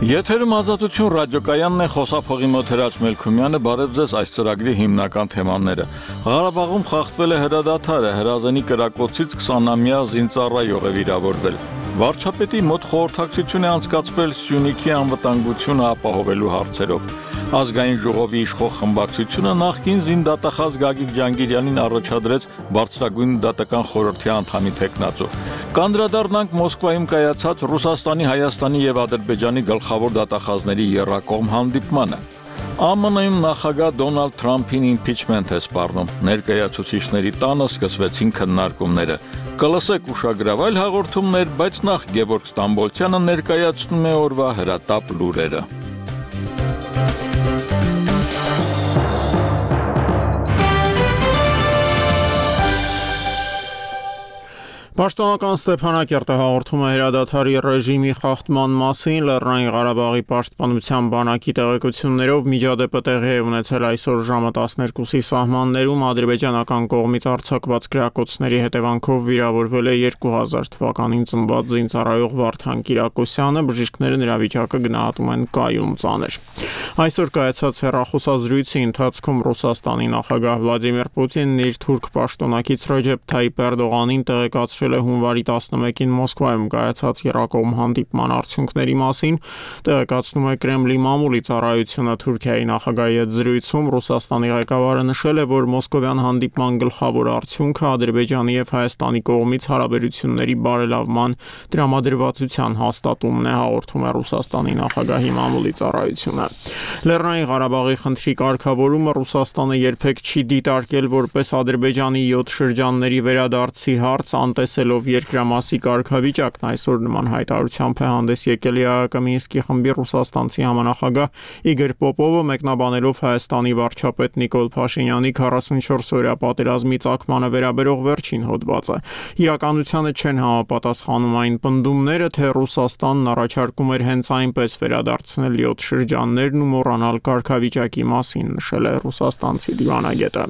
Եթերում Ազատություն ռադիոկայանն է, խոսափողի մոտ Հրաչ Մելքումյանը, բարև ձեզ այս ծրագրի հիմնական թեմաները։ Ղարաբաղում խախտվել է հրադադարը, Հրազենի կրակոցից 20-ամյա զինծառայող է վիրավորվել։ Վարչապետի մոտ խորհրդակցություն է անցկացվել Սյունիքի անվտանգությունը ապահովելու հարցերով։ Ազգային ժողովի իշխող խմբակցությունը նախկին զինդատախազ Գագիկ Ջանգիրյանին առաջադրեց բարձրագույն դատական խորհրդի անդամի թեկնածու։ Կանդրադառնանք Մոսկվայում կայացած Ռուսաստանի, Հայաստանի եւ Ադրբեջանի գլխավոր դատախազների եռակողմ հանդիպմանը։ ԱՄՆ-ում նախագահ Դոնալդ Թրամփին իմպիչմենտ է սպառնում։ Ներկայացուցիչների տանը սկսվեցին քննարկումները։ Կլսեք ուշագրավ այլ հաղորդումներ, բայց նախ Գևորգ Ստամբոլցյանը ներկայացնում է օրվա հրատապ լուրերը։ Պաշտոնական Ստեփանակերտը հաղորդում է հրադադարի ռեժիմի խախտման մասին, Լեռնային Ղարաբաղի պաշտպանության բանակի տեղեկություններով միջադեպը տեղի է ունեցել այսօր ժամը 12-ի սահմաններում, ադրբեջանական կողմից արձակված գրակոծների հետևանքով վիրավորվել է 2000 թվականին ծնված զինծառայող Վարդան Կիրակոսյանը, բժիշկները նրա վիճակը գնահատում են կայուն ծանր։ Այսօր կայացած հեռախոսազրույցի ընթացքում Ռուսաստանի նախագահ Վլադիմիր Պուտինն իր թուրք պաշտոնակից Ռեջեփ Թայիփ Էրդողանին տեղեկացրել է հունվարի 11-ին Մոսկվայում կայացած եռակողմ հանդիպման արդյունքների մասին, տեղեկացնում է Կրեմլի մամուլի ծառայությունը Թուրքիայի նախագահի հետ զրույցում Ռուսաստանի ղեկավարը նշել է, որ մոսկովյան հանդիպման գլխավոր արդյունքը Ադրբեջանի եւ Հայաստանի կողմից հարաբերությունների բարելավման տրամադրվածության հաստատումն է, հաղորդում է Ռուսաստանի նախագահի մամուլի ծառայությունը։ Լեռնային Ղարաբաղի խնդրի կարգավորումը Ռուսաստանը երբեք չի դիտարկել որպես Ադրբեջանի 7 շրջանների վերադարձի հարց, անտեսելով երկրամասի կարգավիճակն այսօր նման հայտարարությամբ է հանդես եկել ԵԱՀԿ Մինսկի խմբի ռուսաստանցի համանախագահ Իգոր Պոպովը, մեկնաբանելով Հայաստանի վարչապետ Նիկոլ Փաշինյանի 44-օրյա պատերազմի ծագմանը վերաբերող վերջին հոդվածը։ Իրականությանը չեն համապատասխանում այն պնդումները, թե Ռուսաստանն առաջարկում էր հենց այնպես վերադարձնել 7 շրջաններն ու մոռանալ կարգավիճակի մասին, նշել է ռուսաստանցի դիվանագետը։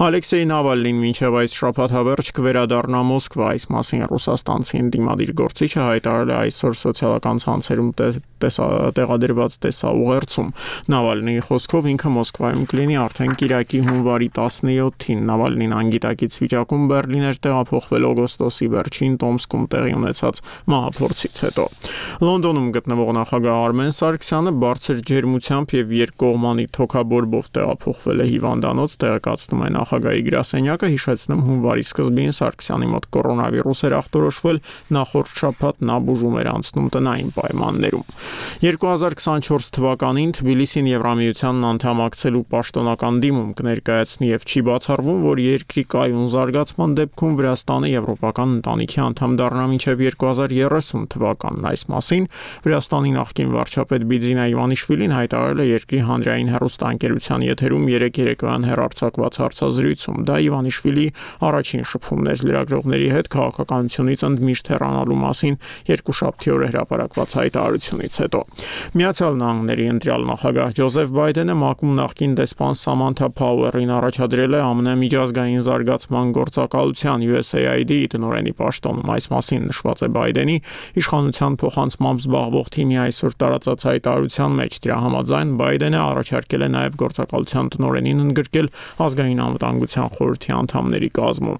Ալեքսեյ Նավալնին մինչև այս շաբաթ հավերջ կվերադառնա Մոսկվա, այս մասին ռուսաստանցի ընդդիմադիր գործիչը հայտարարել է այսօր սոցիալական ցանցերում տեղադրված տեսաուղերձում։ Նավալնիի խոսքով ինքը Մոսկվայում կլինի արդեն կիրակի հունվարի 17-ին։ Նավալնին անգիտակից վիճակում Բեռլին էր տեղափոխվել օգոստոսի վերջին Տոմսկում տեղի ունեցած մահափորձից հետո։ Լոնդոնում գտնվող նախագահ Արմեն Սարգսյանը բարձր ջերմությամբ եւ երկկողմանի թոքաբորբով տեղափոխվել է հիվանդանոց, տեղեկացնում է նախագահի գրասենյակը, հիշեցնում հունվարի սկզբին Սարգսյանի մոտ կորոնավիրուս էր ախտորոշվել, նախորդ շաբաթ նա բուժում էր անցնում տնային պայմաններում։ 2024 թվականին Թբիլիսին Եվրամիությանն անդամակցելու պաշտոնական դիմում կներկայացնի եւ չի բացառվում, որ երկրի կայուն զարգացման դեպքում Վրաստանը եվրոպական ընտանիքի անդամ դառնա մինչեւ 2030 թվականն։ Այս մասին Վրաստանի նախկին վարչապետ Բիձինա Իվանիշվիլին հայտարարել է երկրի հանրային հեռուստաընկերության եթերում երեկոյան հեռարձակված հարցազրույցում։ Դա Իվանիշվիլի առաջին շփումն էր լրագրողների հետ քաղաքականությունից ընդմիշտ հեռանալու մասին երկուշաբթի օրը հրապարակված հայտարարությունից հետո։ Միացյալ Նահանգների ընտրյալ նախագահ Ջոզեֆ Բայդենը ՄԱԿ-ում նախկին դեսպան Սամանթա Փաուերին առաջադրել է ԱՄՆ միջազգային զարգացման գործակալության USAID տնօրենի պաշտոնում։ Այս մասին նշված է Բայդենի իշխանության փոխանցմամբ զբաղվող թիմի այսօր տարածած հայտարարության մեջ։ Դրա համաձայն Բայդենը առաջարկել է նաև գործակալության տնօրենին ընդգրկել ազգային անվտանգության խորհրդի անդամների կազմում։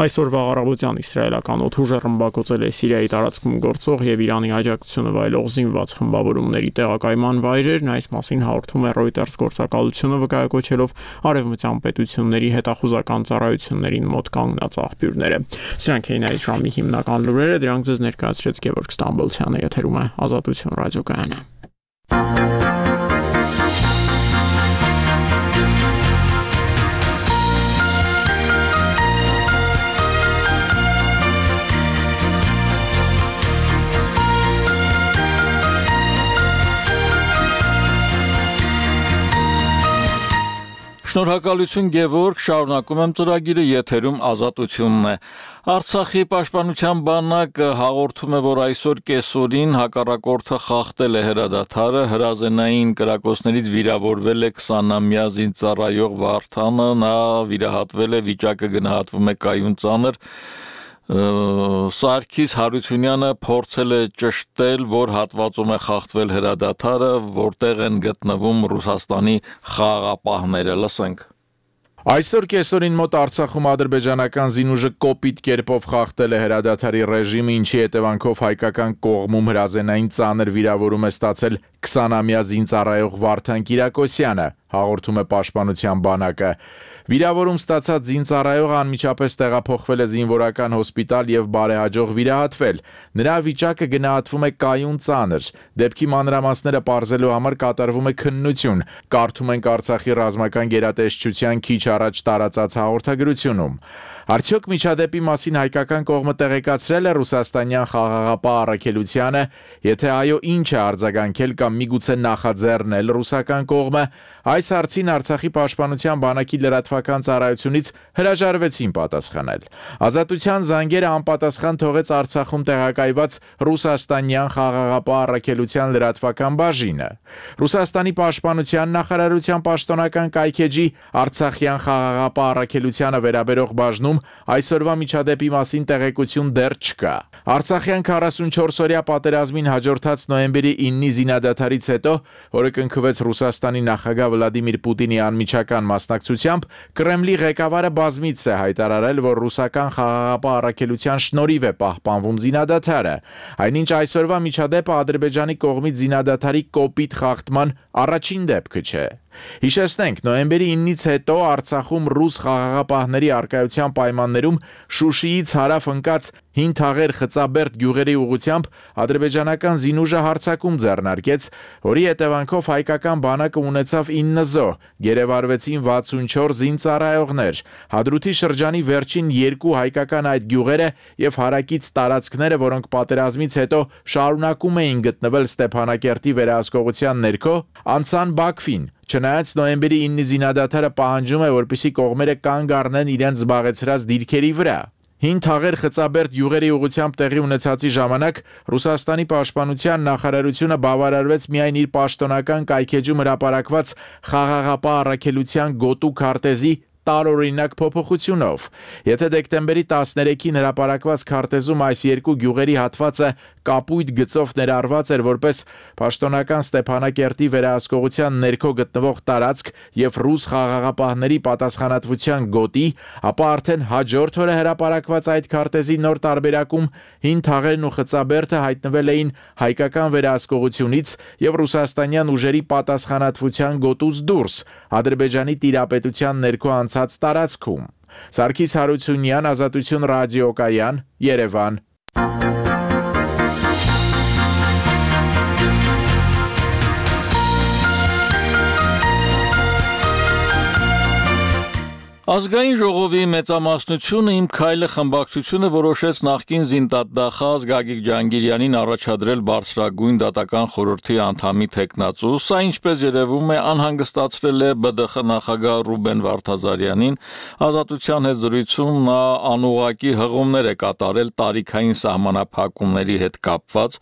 Այսօրվա առավոտյան իսրայելական օդուժը ռմբակոծել է Սիրիայի տարածքում գործող եւ Իրանի աջակցությունը վայելող զինված խմբավորումների տեղակայման վայրերն։ Այս մասին հաղորդում է Reuters գործակալությունը, վկայակոչելով արևմտյան պետությունների հետախուզական ծառայություններին մոտ կանգնած աղբյուրները։ Սրանք էին այս ժամի հիմնական լուրերը, դրանք ձեզ ներկայացրեց Գևորգ Ստամբոլցյանը, եթերում է Ազատություն ռադիոկայանը։ Շնորհակալություն Գևորգ, շարունակում եմ ծրագիրը, եթերում Ազատությունն է։ Արցախի պաշտպանության բանակը հաղորդում է, որ այսօր կեսօրին հակառակորդը խախտել է հրադադարը, հրազենային կրակոցներից վիրավորվել է 20-ամյա զինծառայող Վարդանը, նա վիրահատվել է, վիճակը գնահատվում է կայուն ծանր։ Սարգիս Հարությունյանը փորձել է ճշտել, որ հատվածում է խախտվել հրադադարը, որտեղ են գտնվում Ռուսաստանի խաղաղապահները, լսենք. Այսօր կեսօրին մոտ Արցախում ադրբեջանական զինուժը կոպիտ կերպով խախտել է հրադադարի ռեժիմը, ինչի հետևանքով հայկական կողմում հրազենային ծանր վիրավորում է ստացել 20-ամյա զինծառայող Վարդան Կիրակոսյանը, հաղորդում է Պաշտպանության բանակը։ Վիրավորում ստացած զինծառայողը անմիջապես տեղափոխվել է զինվորական հոսպիտալ եւ բարեհաջող վիրահատվել։ Նրա վիճակը գնահատվում է կայուն ծանր։ Դեպքի մանրամասները պարզելու համար կատարվում է քննություն։ Կարդում ենք Արցախի ռազմական գերատեսչության քիչ առաջ տարածած հաղորդագրությունում։ Արդյոք միջադեպի մասին հայկական կողմը տեղեկացրել է ռուսաստանյան խաղաղապահ առաքելությանը, եթե այո, ինչ է արձագանքել կամ միգուցե նախաձեռնել ռուսական կողմը, այս հարցին Արցախի պաշտպանության բանակի լրատվական ծառայությունից հրաժարվեցին պատասխանել։ Ազատության զանգերը անպատասխան թողեց Արցախում տեղակայված ռուսաստանյան խաղաղապահ առաքելության լրատվական բաժինը։ Ռուսաստանի պաշտպանության նախարարության պաշտոնական կայքեջի Արցախյան խաղաղապահ առաքելությանը վերաբերող բաժնում այսօրվա միջադեպի մասին տեղեկություն դեռ չկա։ Արցախյան 44-օրյա պատերազմին հաջորդած նոյեմբերի 9-ի զինադադարից հետո, որը կնքվեց Ռուսաստանի նախագահ Վլադիմիր Պուտինի անմիջական մասնակցությամբ, Կրեմլի ղեկավարը բազմիցս է հայտարարել, որ ռուսական խաղաղապահ առաքելության շնորհիվ է պահպանվում զինադադարը, այնինչ այսօրվա միջադեպը Ադրբեջանի կողմից զինադադարի կոպիտ խախտման առաջին դեպքը չէ։ Հիշեցնենք, նոյեմբերի 9-ից հետո Արցախում ռուս խաղաղապահների առկայության պայմաններում Շուշիից հարավ ընկած Հին Թաղեր Խծաբերդ գյուղերի ուղությամբ ադրբեջանական զինուժը հարձակում ձեռնարկեց, որի հետևանքով հայկական բանակը ունեցավ 9 զոհ, գերեվարվեցին 64 զինծառայողներ։ Հադրութի շրջանի վերջին 2 հայկական այդ գյուղերը եւ հարակից տարածքները, որոնք պատերազմից հետո շարունակում էին գտնվել Ստեփանակերտի վերահսկողության ներքո, անցան Բաքվին։ Չնայած նոյեմբերի 9-ի զինադադարը պահանջում է, որպեսզի կողմերը կանգ առնեն իրենց զբաղեցրած դիրքերի վրա։ Հին Թաղեր Խծաբերդ յուղերի ուղղությամբ տեղի ունեցածի ժամանակ Ռուսաստանի պաշտպանության նախարարությունը բավարարվեց միայն իր պաշտոնական կայքեջում հրապարակված խաղաղապահ առաքելության գոտու քարտեզի տարօրինակ փոփոխությունով։ Եթե դեկտեմբերի 13-ին հրապարակված քարտեզում այս երկու գյուղերի հատվածը կապույտ գծով ներառված էր որպես պաշտոնական Ստեփանակերտի վերահսկողության ներքո գտնվող տարածք եւ ռուս խաղաղապահների պատասխանատվության գոտի, ապա արդեն հաջորդ օրը հրապարակված այդ քարտեզի նոր տարբերակում Հին Թաղերն ու Խծաբերդը հայտնվել էին հայկական վերահսկողությունից եւ ռուսաստանյան ուժերի պատասխանատվության գոտուց դուրս, Ադրբեջանի տիրապետության ներքո անցած տարածքում։ Սարգիս Հարությունյան, Ազատություն ռադիոկայան, Երևան։ Ազգային ժողովի մեծամասնությունը Իմ քայլը խմբակցությունը որոշեց նախկին զինդատախազ Գագիկ Ջհանգիրյանին առաջադրել բարձրագույն դատական խորհրդի անդամի թեկնածու, սա ինչպես երևում է անհանգստացրել է ԲԴԽ նախագահ Ռուբեն Վարդազարյանին, Ազատության հետ զրույցում նա անուղղակի հղումներ է կատարել տարիքային սահմանափակումների հետ կապված,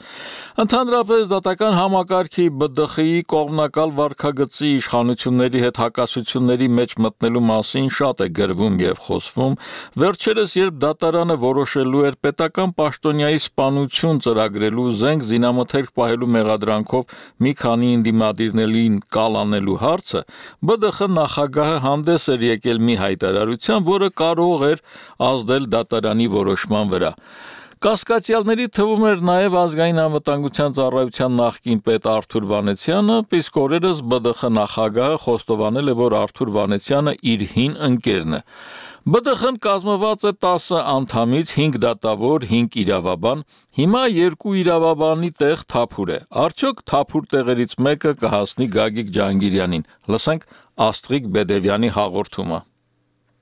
ընդհանրապես դատական համակարգի ԲԴԽ-ի կողմնակալ վարքագծի իշխանությունների հետ հակասությունների մեջ մտնելու մասին շատ է գրվում եւ խոսվում, վերջերս երբ դատարանը որոշելու էր պետական պաշտոնյայի սպանություն ծրագրելու զենք զինամթերք պահելու մեղադրանքով մի քանի ընդդիմադիրներին կալանելու հարցը, ԲԴԽ նախագահը հանդես էր եկել մի հայտարարությամբ, որը կարող էր ազդել դատարանի որոշման վրա։ Կասկածյալների թվում էր նաև ազգային անվտանգության ծառայության նախկին պետ Արթուր Վանեցյանը, իսկ օրերս ԲԴԽ նախագահը խոստովանել է, որ Արթուր Վանեցյանը իր հին ընկերն է։ ԲԴԽ-ն կազմված է 10 անդամից, 5 դատավոր, 5 իրավաբան, հիմա 2 իրավաբանի տեղ թափուր է։ Արդյոք թափուր տեղերից մեկը կհասնի Գագիկ Ջհանգիրյանին։ Լսենք Աստղիկ Բեդևյանի հաղորդումը։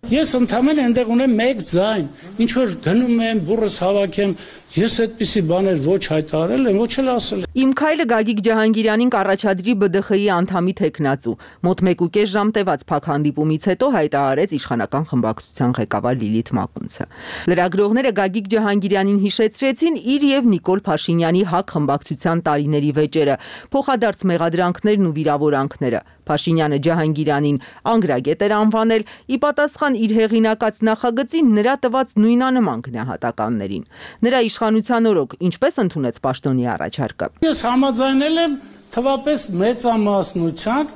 Ես ընդհանրապես այնտեղ ունեմ մեկ ձայն, ինչ որ գնում եմ, բուրս հավաքեմ, ես այդպիսի բաներ ոչ հայտարարել եմ, ոչ էլ ասել եմ։ Իմ քայլը Գագիկ Ջհանգիրյանին կառաջադրի ԲԴԽ-ի անդամի թեկնածու, մոտ 1.5 ժամ տևած փակ հանդիպումից հետո հայտարարեց իշխանական խմբակցության ղեկավար Լիլիթ Մակունցը։ Լրագրողները Գագիկ Ջհանգիրյանին հիշեցրեցին իր եւ Նիկոլ Փաշինյանի ՀԱԿ խմբակցության տարիների վեճերը, փոխադարձ մեղադրանքներն ու վիրավորանքները։ Փաշինյանը Ջահանգիրանին անգրագետ էր անվանել ի պատասխան իր հեղինակած նախագծին նրա տված նույնանման գնահատականներին։ Նրա իշխանության օրոք ինչպես ընդունեց պաշտոնի առաջարկը։ Ես համաձայնել եմ թվապես մեծամասնության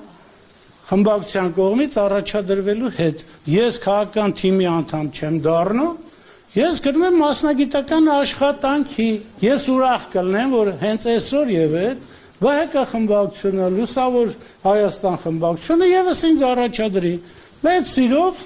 խմբակցության կողմից առաջադրվելու հետ։ Ես քաղաքական թիմի անդամ չեմ դառնում, ես գնում եմ մասնագիտական աշխատանքի։ Ես ուրախ կլինեմ, որ հենց այսօր եւ այդ ԲՀԿ խմբակցությունը, Լուսավոր Հայաստան խմբակցությունը եւս ինձ առաջադրի։ Մեծ սիրով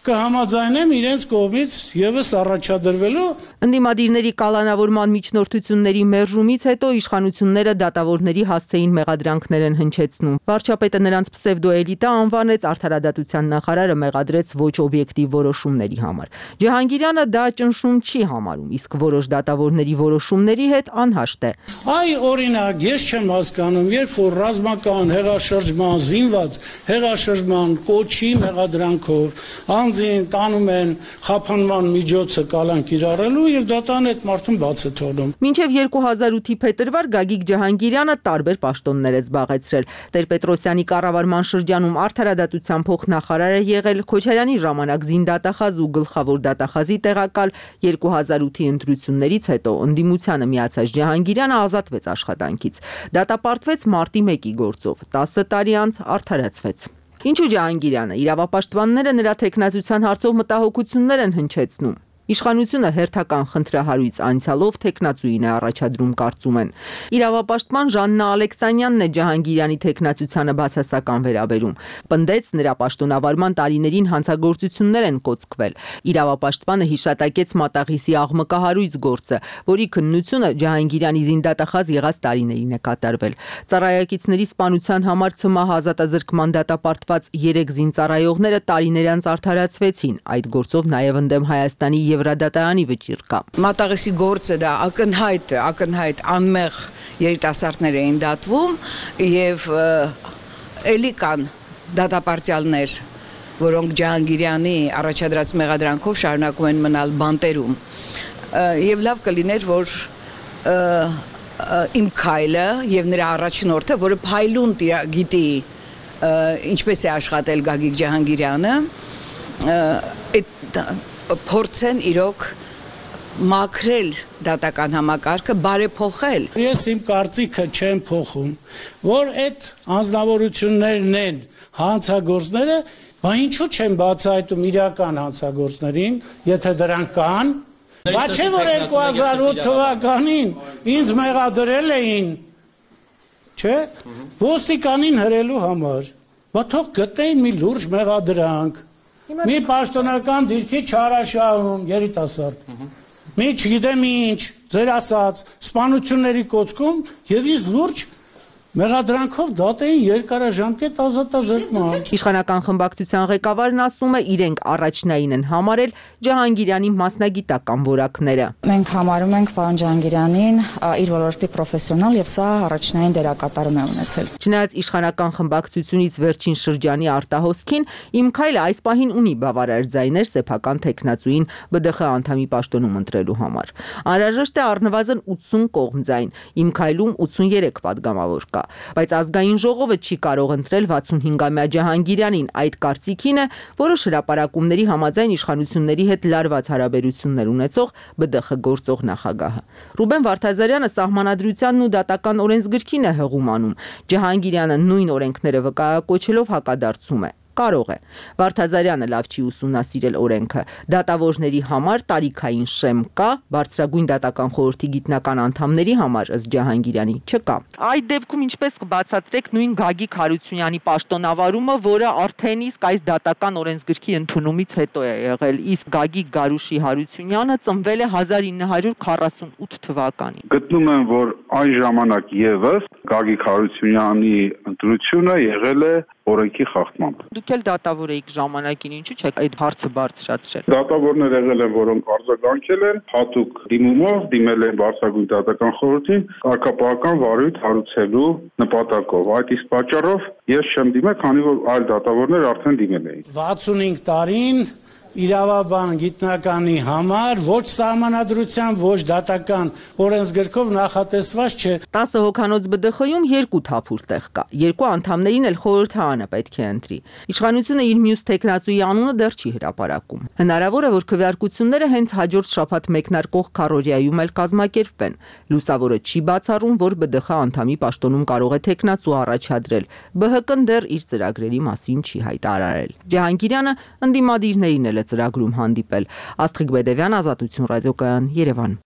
կհամաձայնեմ իրենց կողմից եւս առաջադրվելու։ Ընդդիմադիրների կալանավորման միջնորդությունների մերժումից հետո իշխանությունները դատավորների հասցեին մեղադրանքներ են հնչեցնում։ Վարչապետը նրանց պսևդոէլիտա անվանեց, արդարադատության նախարարը մեղադրեց ոչ օբյեկտիվ որոշումների համար։ Ջահանգիրյանը դա ճնշում չի համարում, իսկ որոշ դատավորների որոշումների հետ անհաշտ է։ Այ օրինակ, ես չեմ հասկանում, երբ որ ռազմական հեղաշրջման, զինված հեղաշրջման կոչի մեղադրանքով անձին տանում են խափանման միջոցը կալան կիրառելու եւ դատան այդ մարդուն բաց է թողնում։ Մինչև 2008-ի փետրվար Գագիկ Ջահանգիրյանը տարբեր պաշտոններ է զբաղեցրել։ Տեր-Պետրոսյանի կառավարման շրջանում արդարադատության փոխնախարար է եղել, Քոչարյանի ժամանակ զինդատախազ ու գլխավոր դատախազի տեղակալ, 2008-ի ընտրություններից հետո ընդդիմությանը միացած Ջահանգիրյանը ազատվեց աշխատանքից։ Դատապարտվեց մարտի 1-ի գործով, 10 տարի անց արդարացվեց։ Ինչու Ջահանգիրյանը, իրավապաշտպանները նրա թեկնածության հարցով մտահոգություններ են հնչեցնում։ Իշխանությունը հերթական խնդրահարույց անցյալով թեկնածուին է առաջադրում, կարծում են։ Իրավապաշտպան Ժաննա Ալեքսանյանն է Ջահանգիրյանի թեկնածությանը բացասական վերաբերում։ Պնդեց, նրա պաշտոնավարման տարիներին հանցագործություններ են կոծկվել։ Իրավապաշտպանը հիշատակեց Մատաղիսի աղմկահարույց գործը, որի քննությունը Ջահանգիրյանի զինդատախազ եղած տարիներին է կատարվել։ Ծառայակիցների սպանության համար ՑՄՀ ազատազրկման դատապարտված 3 զինծառայողները տարիներ անց արդարացվեցին։ Այդ գործով նաև ընդդեմ Հայաստանի Եվրադատարանի վճիռ կա։ Մատաղիսի գործը դա ակնհայտ անմեղ երիտասարդներ էին դատվում եւ էլի կան դատապարտյալներ, որոնք Ջահանգիրյանի առաջադրած մեղադրանքով շարունակում են մնալ բանտերում։ Եվ լավ կլիներ, որ իմ քայլը եւ նրա առաջնորդը, որը փայլուն գիտի ինչպես է աշխատել Գագիկ Ջահանգիրյանը, փորձեն իրոք մաքրել դատական համակարգը, բարեփոխել։ Ես իմ կարծիքը չեմ փոխում, որ այդ անձնավորություններն են հանցագործները, բա ինչու չեն բացահայտում իրական հանցագործներին, եթե դրանք կան։ Բա չէ որ 2008 թվականին ինձ մեղադրել էին, չէ, ոստիկանին հրելու համար։ Բա թող գտեին մի լուրջ մեղադրանք։ Մի պաշտոնական դիրքի չարաշահում, երիտասարդ, մի չգիտեմ ինչ, ձեր ասած, սպանությունների կոծքում և ինձ լուրջ մեղադրանքով դատեին երկարաժամկետ ազատազրկման։ Իշխանական խմբակցության ղեկավարն ասում է, իրենք առաջնային են համարել Ջահանգիրյանի մասնագիտական որակները։ Մենք համարում ենք պարոն Ջահանգիրյանին իր ոլորտի պրոֆեսիոնալ եւ սա առաջնային դերակատարում է ունեցել։ Չնայած իշխանական խմբակցությունից վերջին շրջանի արտահոսքին, Իմ քայլը այս պահին ունի բավարար ձայներ սեփական թեկնածուին ԲԴԽ անդամի պաշտոնում ընտրելու համար։ Անհրաժեշտ է առնվազն 80 կողմ ձայն։ Իմ քայլում 83 падգամավոր կա, բայց ազգային ժողովը չի կարող ընտրել 65-ամյա Ջահանգիրյանին։ Այդ կարծիքին է որոշ հրապարակումների համաձայն իշխանությունների հետ լարված հարաբերություններ ունեցող ԲԴԽ գործող նախագահը։ Ռուբեն Վարդազարյանը սահմանադրությանն ու դատական օրենսգրքին է հղում անում։ Ջահանգիրյանը նույն օրենքները վկայակոչելով հակադարձում է։ Կարող է։ Վարդազարյանը լավ չի ուսումնասիրել օրենքը։ Դատավորների համար տարիքային շեմ կա, բարձրագույն դատական խորհրդի գիտնական անդամների համար ըստ Ջահանգիրյանի չկա։ Այդ դեպքում ինչպես կբացատրեք նույն Գագիկ Հարությունյանի պաշտոնավարումը, որը արդեն իսկ այս դատական օրենսգրքի ընդունումից հետո է եղել, իսկ Գագիկ Գարուշի Հարությունյանը ծնվել է 1948 թվականին։ Գտնում եմ, որ այն ժամանակ եւս Գագիկ Հարությունյանի ընտրությունը եղել է օրենքի խախտմամբ։ Դուք էլ դատավոր եք ժամանակին, ինչու՞ չեք այդ հարցը բարձրացրել։ Դատավորներ եղել են, որոնք արձագանքել են, հատուկ դիմումով դիմել են Բարձրագույն դատական խորհրդին կարգապահական վարույթ հարուցելու նպատակով։ Այդ իսկ պատճառով ես չեմ դիմել, քանի որ այլ դատավորներ արդեն դիմել էին։ 65 տարին իրավաբան գիտնականի համար ոչ սահմանադրությամբ, ոչ դատական օրենսգրքով նախատեսված չէ։ 10 հոգանոց ԲԴԽ-ում 2 թափուր տեղ կա։ 2 անդամներին էլ խորհրդարանը պետք է ընտրի։ Իշխանությունը իր մյուս տեխնացուի անունը դեռ չի հրապարակում։ Հնարավոր է, որ քվեարկությունները հենց հաջորդ շաբաթ մեկնարկող քարոզիայում էլ կազմակերպվեն։ Լուսավորը չի բացառում, որ ԲԴԽ անդամի պաշտոնում կարող է տեխնացու առաջադրել։ ԲՀԿ-ն դեռ իր ծրագրերի մասին չի հայտարարել։ Ջահանգիրյանը ընդդիմադիրներին էլ ծրագրում հանդիպել։ Աստղիկ Բեդևյան, Ազատություն ռադիոկայան, Երևան։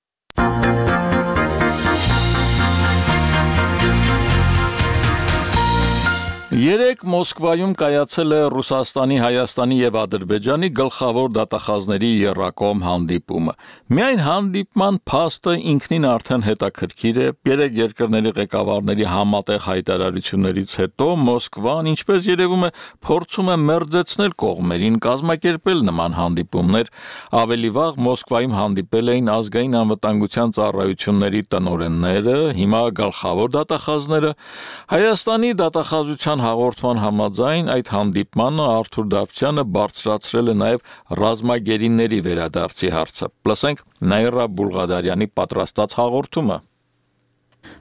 Երեկ Մոսկվայում կայացել է Ռուսաստանի, Հայաստանի եւ Ադրբեջանի գլխավոր դատախազների եռակողմ հանդիպումը։ Միայն հանդիպման փաստը ինքնին արդեն հետաքրքիր է։ Երեք երկրների ղեկավարների համատեղ հայտարարություններից հետո Մոսկվան, ինչպես երևում է, փորձում է մերձեցնել կողմերին, կազմակերպել նման հանդիպումներ։ Ավելի վաղ Մոսկվայում հանդիպել էին ազգային անվտանգության ծառայությունների տնօրենները, հիմա գլխավոր դատախազները։ Հայաստանի դատախազության հաղորդման համաձայն այդ հանդիպմանը Արթուր Դավթյանը բարձրացրել է նաև ռազմագերիների վերադարձի հարցը։ Լսենք Նաիրա Բուլղադարյանի պատրաստած հաղորդումը։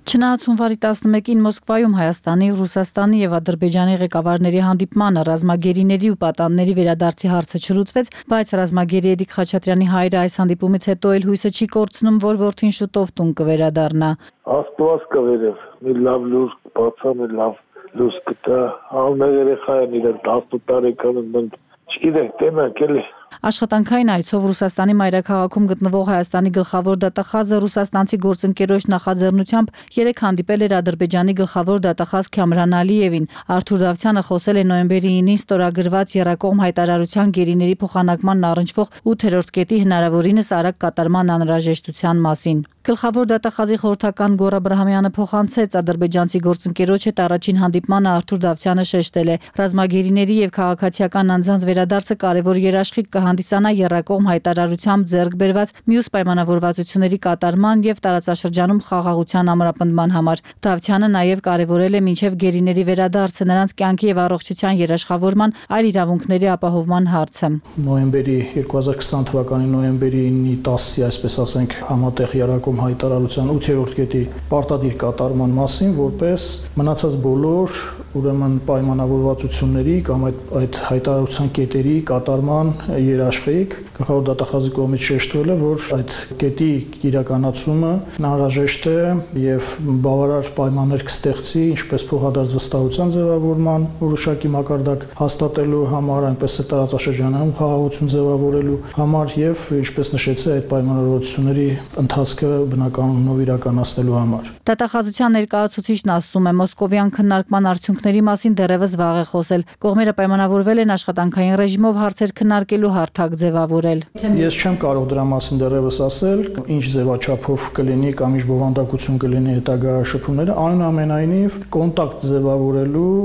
Չնայած հունվարի 11-ին Մոսկվայում Հայաստանի, Ռուսաստանի եւ Ադրբեջանի ղեկավարների հանդիպմանը ռազմագերիների ու պատանների վերադարձի հարցը չլուծվեց, բայց ռազմագերի Էրիկ Խաչատրյանի հայրը այս հանդիպումից հետո էլ հույսը չի կորցնում, որ որդին շուտով տուն կվերադառնա։ Աստված կվերև, մի լավ լուր բացա, մի լավ լույս կտա, ամեն երեխային իրեն 18 տարեկան ընդ չգիտեք, տենակ էլի։ Աշխատանքային այցով Ռուսաստանի մայրաքաղաքում գտնվող Հայաստանի գլխավոր դատախազը ռուսաստանցի գործընկերոջ նախաձեռնությամբ երեկ հանդիպել էր Ադրբեջանի գլխավոր դատախազ Քամրան Ալիևին։ Արթուր Դավթյանը խոսել է նոյեմբերի 9-ին ստորագրված եռակողմ հայտարարության գերիների փոխանակմանն առնչվող 8-րդ կետի հնարավորինս արագ կատարման անհրաժեշտության մասին։ Գլխավոր դատախազի խորհրդական Գոռ Աբրահամյանը փոխանցեց ադրբեջանցի գործընկերոջ հետ առաջին հանդիպմանը Արթուր Դավթյանը շեշտել է. ռազմագերիների եւ քաղաքացիական անձանց վերադարձը կարևոր երաշխիք կհանդիսանա եռակողմ հայտարարությամբ ձեռք բերված մյուս պայմանավորվածությունների կատարման եւ տարածաշրջանում խաղաղության ամրապնդման համար։ Դավթյանը նաեւ կարևորել է մինչեւ գերիների վերադարձը նրանց կյանքի եւ առողջության երաշխավորման այլ իրավունքների ապահովման հարցը։ Նոյեմբերի 2020 թվականի նոյեմբերի 9-ի 10-ի, այսպես ասենք, համատեղ եռակողմ հայտարարության 8-րդ կետի պարտադիր կատարման մասին, որպես մնացած բոլոր ուրեմն պայմանավորվածությունների կամ այդ հայտարարության կետերի կատարման երաշխիք գլխավոր դատախազի կողմից շեշտվել է, որ այդ կետի իրականացումը անհրաժեշտ է եւ բավարար պայմաններ կստեղծի ինչպես փոխադարձ վստահության ձևավորման որոշակի մակարդակ հաստատելու համար, այնպես է տարածաշրջանում խաղաղություն ձևավորելու համար եւ ինչպես նշեցի այդ պայմանավորվածությունների ընթացքը բնականոնով իրականացնելու համար։ Դատախազության ներկայացուցիչն ասում է, մոսկովյան քննարկման արդյունքների մասին դեռևս վաղ է խոսել։ Կողմերը պայմանավորվել են աշխատանքային ռեժիմով հարցեր քննարկելու հարթակ ձևավորել։ Ես չեմ կարող դրա մասին դեռևս ասել, ինչ ձևաչափով կլինի կամ ինչ բովանդակություն կլինի հետագա շփումները, այնուամենայնիվ կոնտակտ ձևավորելու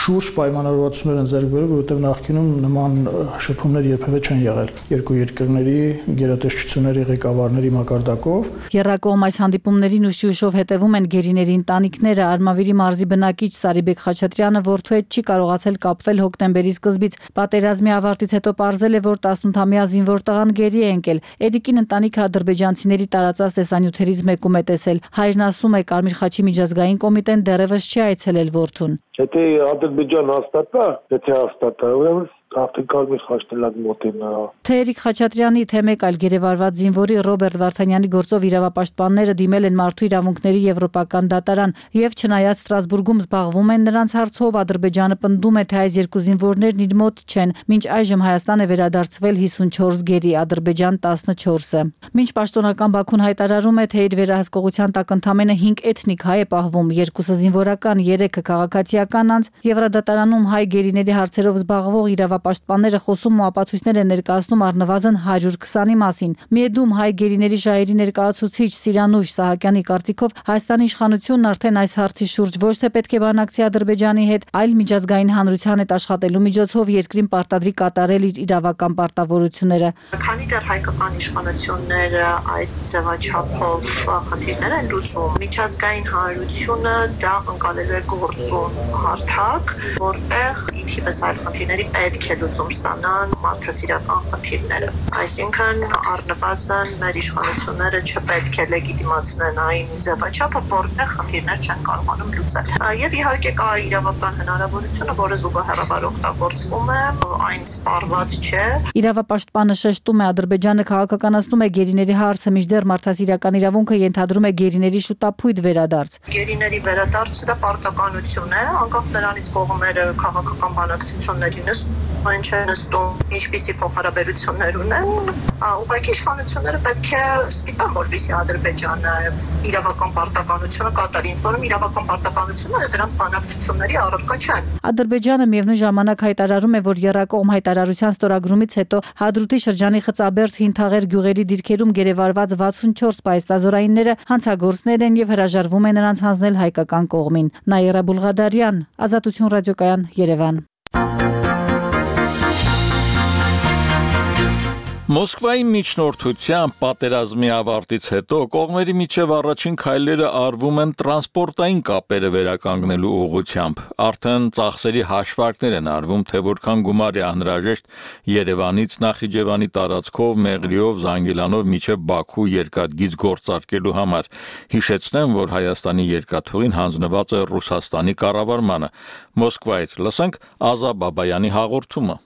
շուրջ պայմանավորվածություններ են ձեռք բերել, որովհետև նախկինում նման շփումներ երբևէ չեն եղել երկու երկրների գերատեսչությունների ղեկավարների մակարդակով։ Եռակողմ այս հանդիպումներին ուշ-ուշով հետևում են գերիների ընտանիքները։ Արմավիրի մարզի բնակիչ Սարիբեկ Խաչատրյանը որդու հետ չի կարողացել կապվել հոկտեմբերի սկզբից։ Պատերազմի ավարտից հետո պարզել է, որ 18-ամյա զինվոր տղան գերի է ընկել։ Էրիկին ընտանիքը ադրբեջանցիների տարածած տեսանյութերից մեկում է տեսել։ Հայրն ասում է, Կարմիր խաչի միջազգային կոմիտեն դեռևս չի այցելել որդուն։ Եթե Ադրբեջան հաստատա, եթե հաստատա, ուրեմն Կարմիր խաչն էլ մոտեն։ Թե Էրիկ Խաչատրյանի, թե մեկ այլ գերեվարված զինվորի Ռոբերտ Վարդանյանի գործով իրավապաշտպանները դիմել են Մարդու իրավունքների եվրոպական դատարան եւ չնայած Ստրասբուրգում զբաղվում են նրանց հարցով, Ադրբեջանը պնդում է, թե այս երկու զինվորներն իր մոտ չեն։ Մինչ այժմ Հայաստան է վերադարձվել 54 գերի, Ադրբեջան 14-ը։ Մինչ պաշտոնական Բաքուն հայտարարում է, թե իր վերահսկողության տակ ընդամենը 5 էթնիկ հայ է պահվում, 2-ը զինվորական, 3-ը քաղաքացիական անձ, Եվրադատարանում հայ գերիների հարցերով զբաղվող իրավապաշտպանները խոսում ու ապացույցներ են ներկայացնում առնվազն 120-ի մասին։ Միեդում հայ գերիների շահերի ներկայացուցիչ Սիրանուշ Սահակյանի կարծիքով Հայաստանի իշխանությունն արդեն այս հարցի շուրջ ոչ թե պետք է բանակցի Ադրբեջանի հետ, այլ միջազգային հանրության հետ աշխատելու միջոցով երկրին պարտադրի կատարել իր իրավական պարտավորությունները։ Քանի դեռ հայկական իշխանությունները այդ ձևաչափով խնդիրներ են լուծում, միջազգային հանրությունը դա ընկալելու է գործուն հարթակ, որտեղ ի թիվս այլ խնդիրների պետք պետք է լուծում ստանան մարդասիրական խնդիրները։ Այսինքն առնվազն մեր իշխանությունները չպետք է լեգիտիմացնեն այն ձևաչափը, որտեղ խնդիրներ չեն կարողանում լուծել։ Եվ իհարկե կա իրավական հնարավորությունը, որը զուգահեռաբար օգտագործվում է, այն սպառված չէ։ Իրավապաշտպանը շեշտում է, Ադրբեջանը քաղաքականացնում է գերիների հարցը, մինչդեռ մարդասիրական իրավունքը ենթադրում է գերիների շուտափույթ վերադարձ։ Գերիների վերադարձը դա պարտականություն է, անկախ նրանից կողմերը քաղաքական բանակցությունների նստում են, չեն նստում, ինչպիսի փոխհարաբերություններ ունեն, ուղղակի իշխանությունները պետք է ստիպեն, որպեսզի Ադրբեջանը իրավական պարտականությունը կատարի, ինձ որում իրավական պարտականությունները դրանք բանակցությունների առարկա չեն։ Ադրբեջանը միևնույն ժամանակ հայտարարում է, որ եռակողմ հայտարարության ստորագրումից հետո Հադրութի շրջանի Խծաբերդ Հինթաղեր գյուղերի դիրքերում գերեվարված 64 պայստազորայինները հանցագործներ են եւ հրաժարվում է նրանց հանձնել հայկական կողմին։ Նաիրա Բուլղադարյան, Ազատություն ռադիոկայան, Երևան։ Մոսկվայի միջնորդությամբ պատերազմի ավարտից հետո կողմերի միջև առաջին քայլերը արվում են տրանսպորտային կապերը վերականգնելու ուղղությամբ։ Արդեն ծախսերի հաշվարկներ են արվում, թե որքան գումար է անհրաժեշտ Երևանից Նախիջևանի տարածքով, Մեղրիով, Զանգիլանով մինչև Բաքու երկաթգիծ գործարկելու համար։ Հիշեցնեմ, որ Հայաստանի երկաթուղին հանձնված է Ռուսաստանի կառավարմանը։ Մոսկվայից լսենք Ազա Բաբայանի հաղորդումը։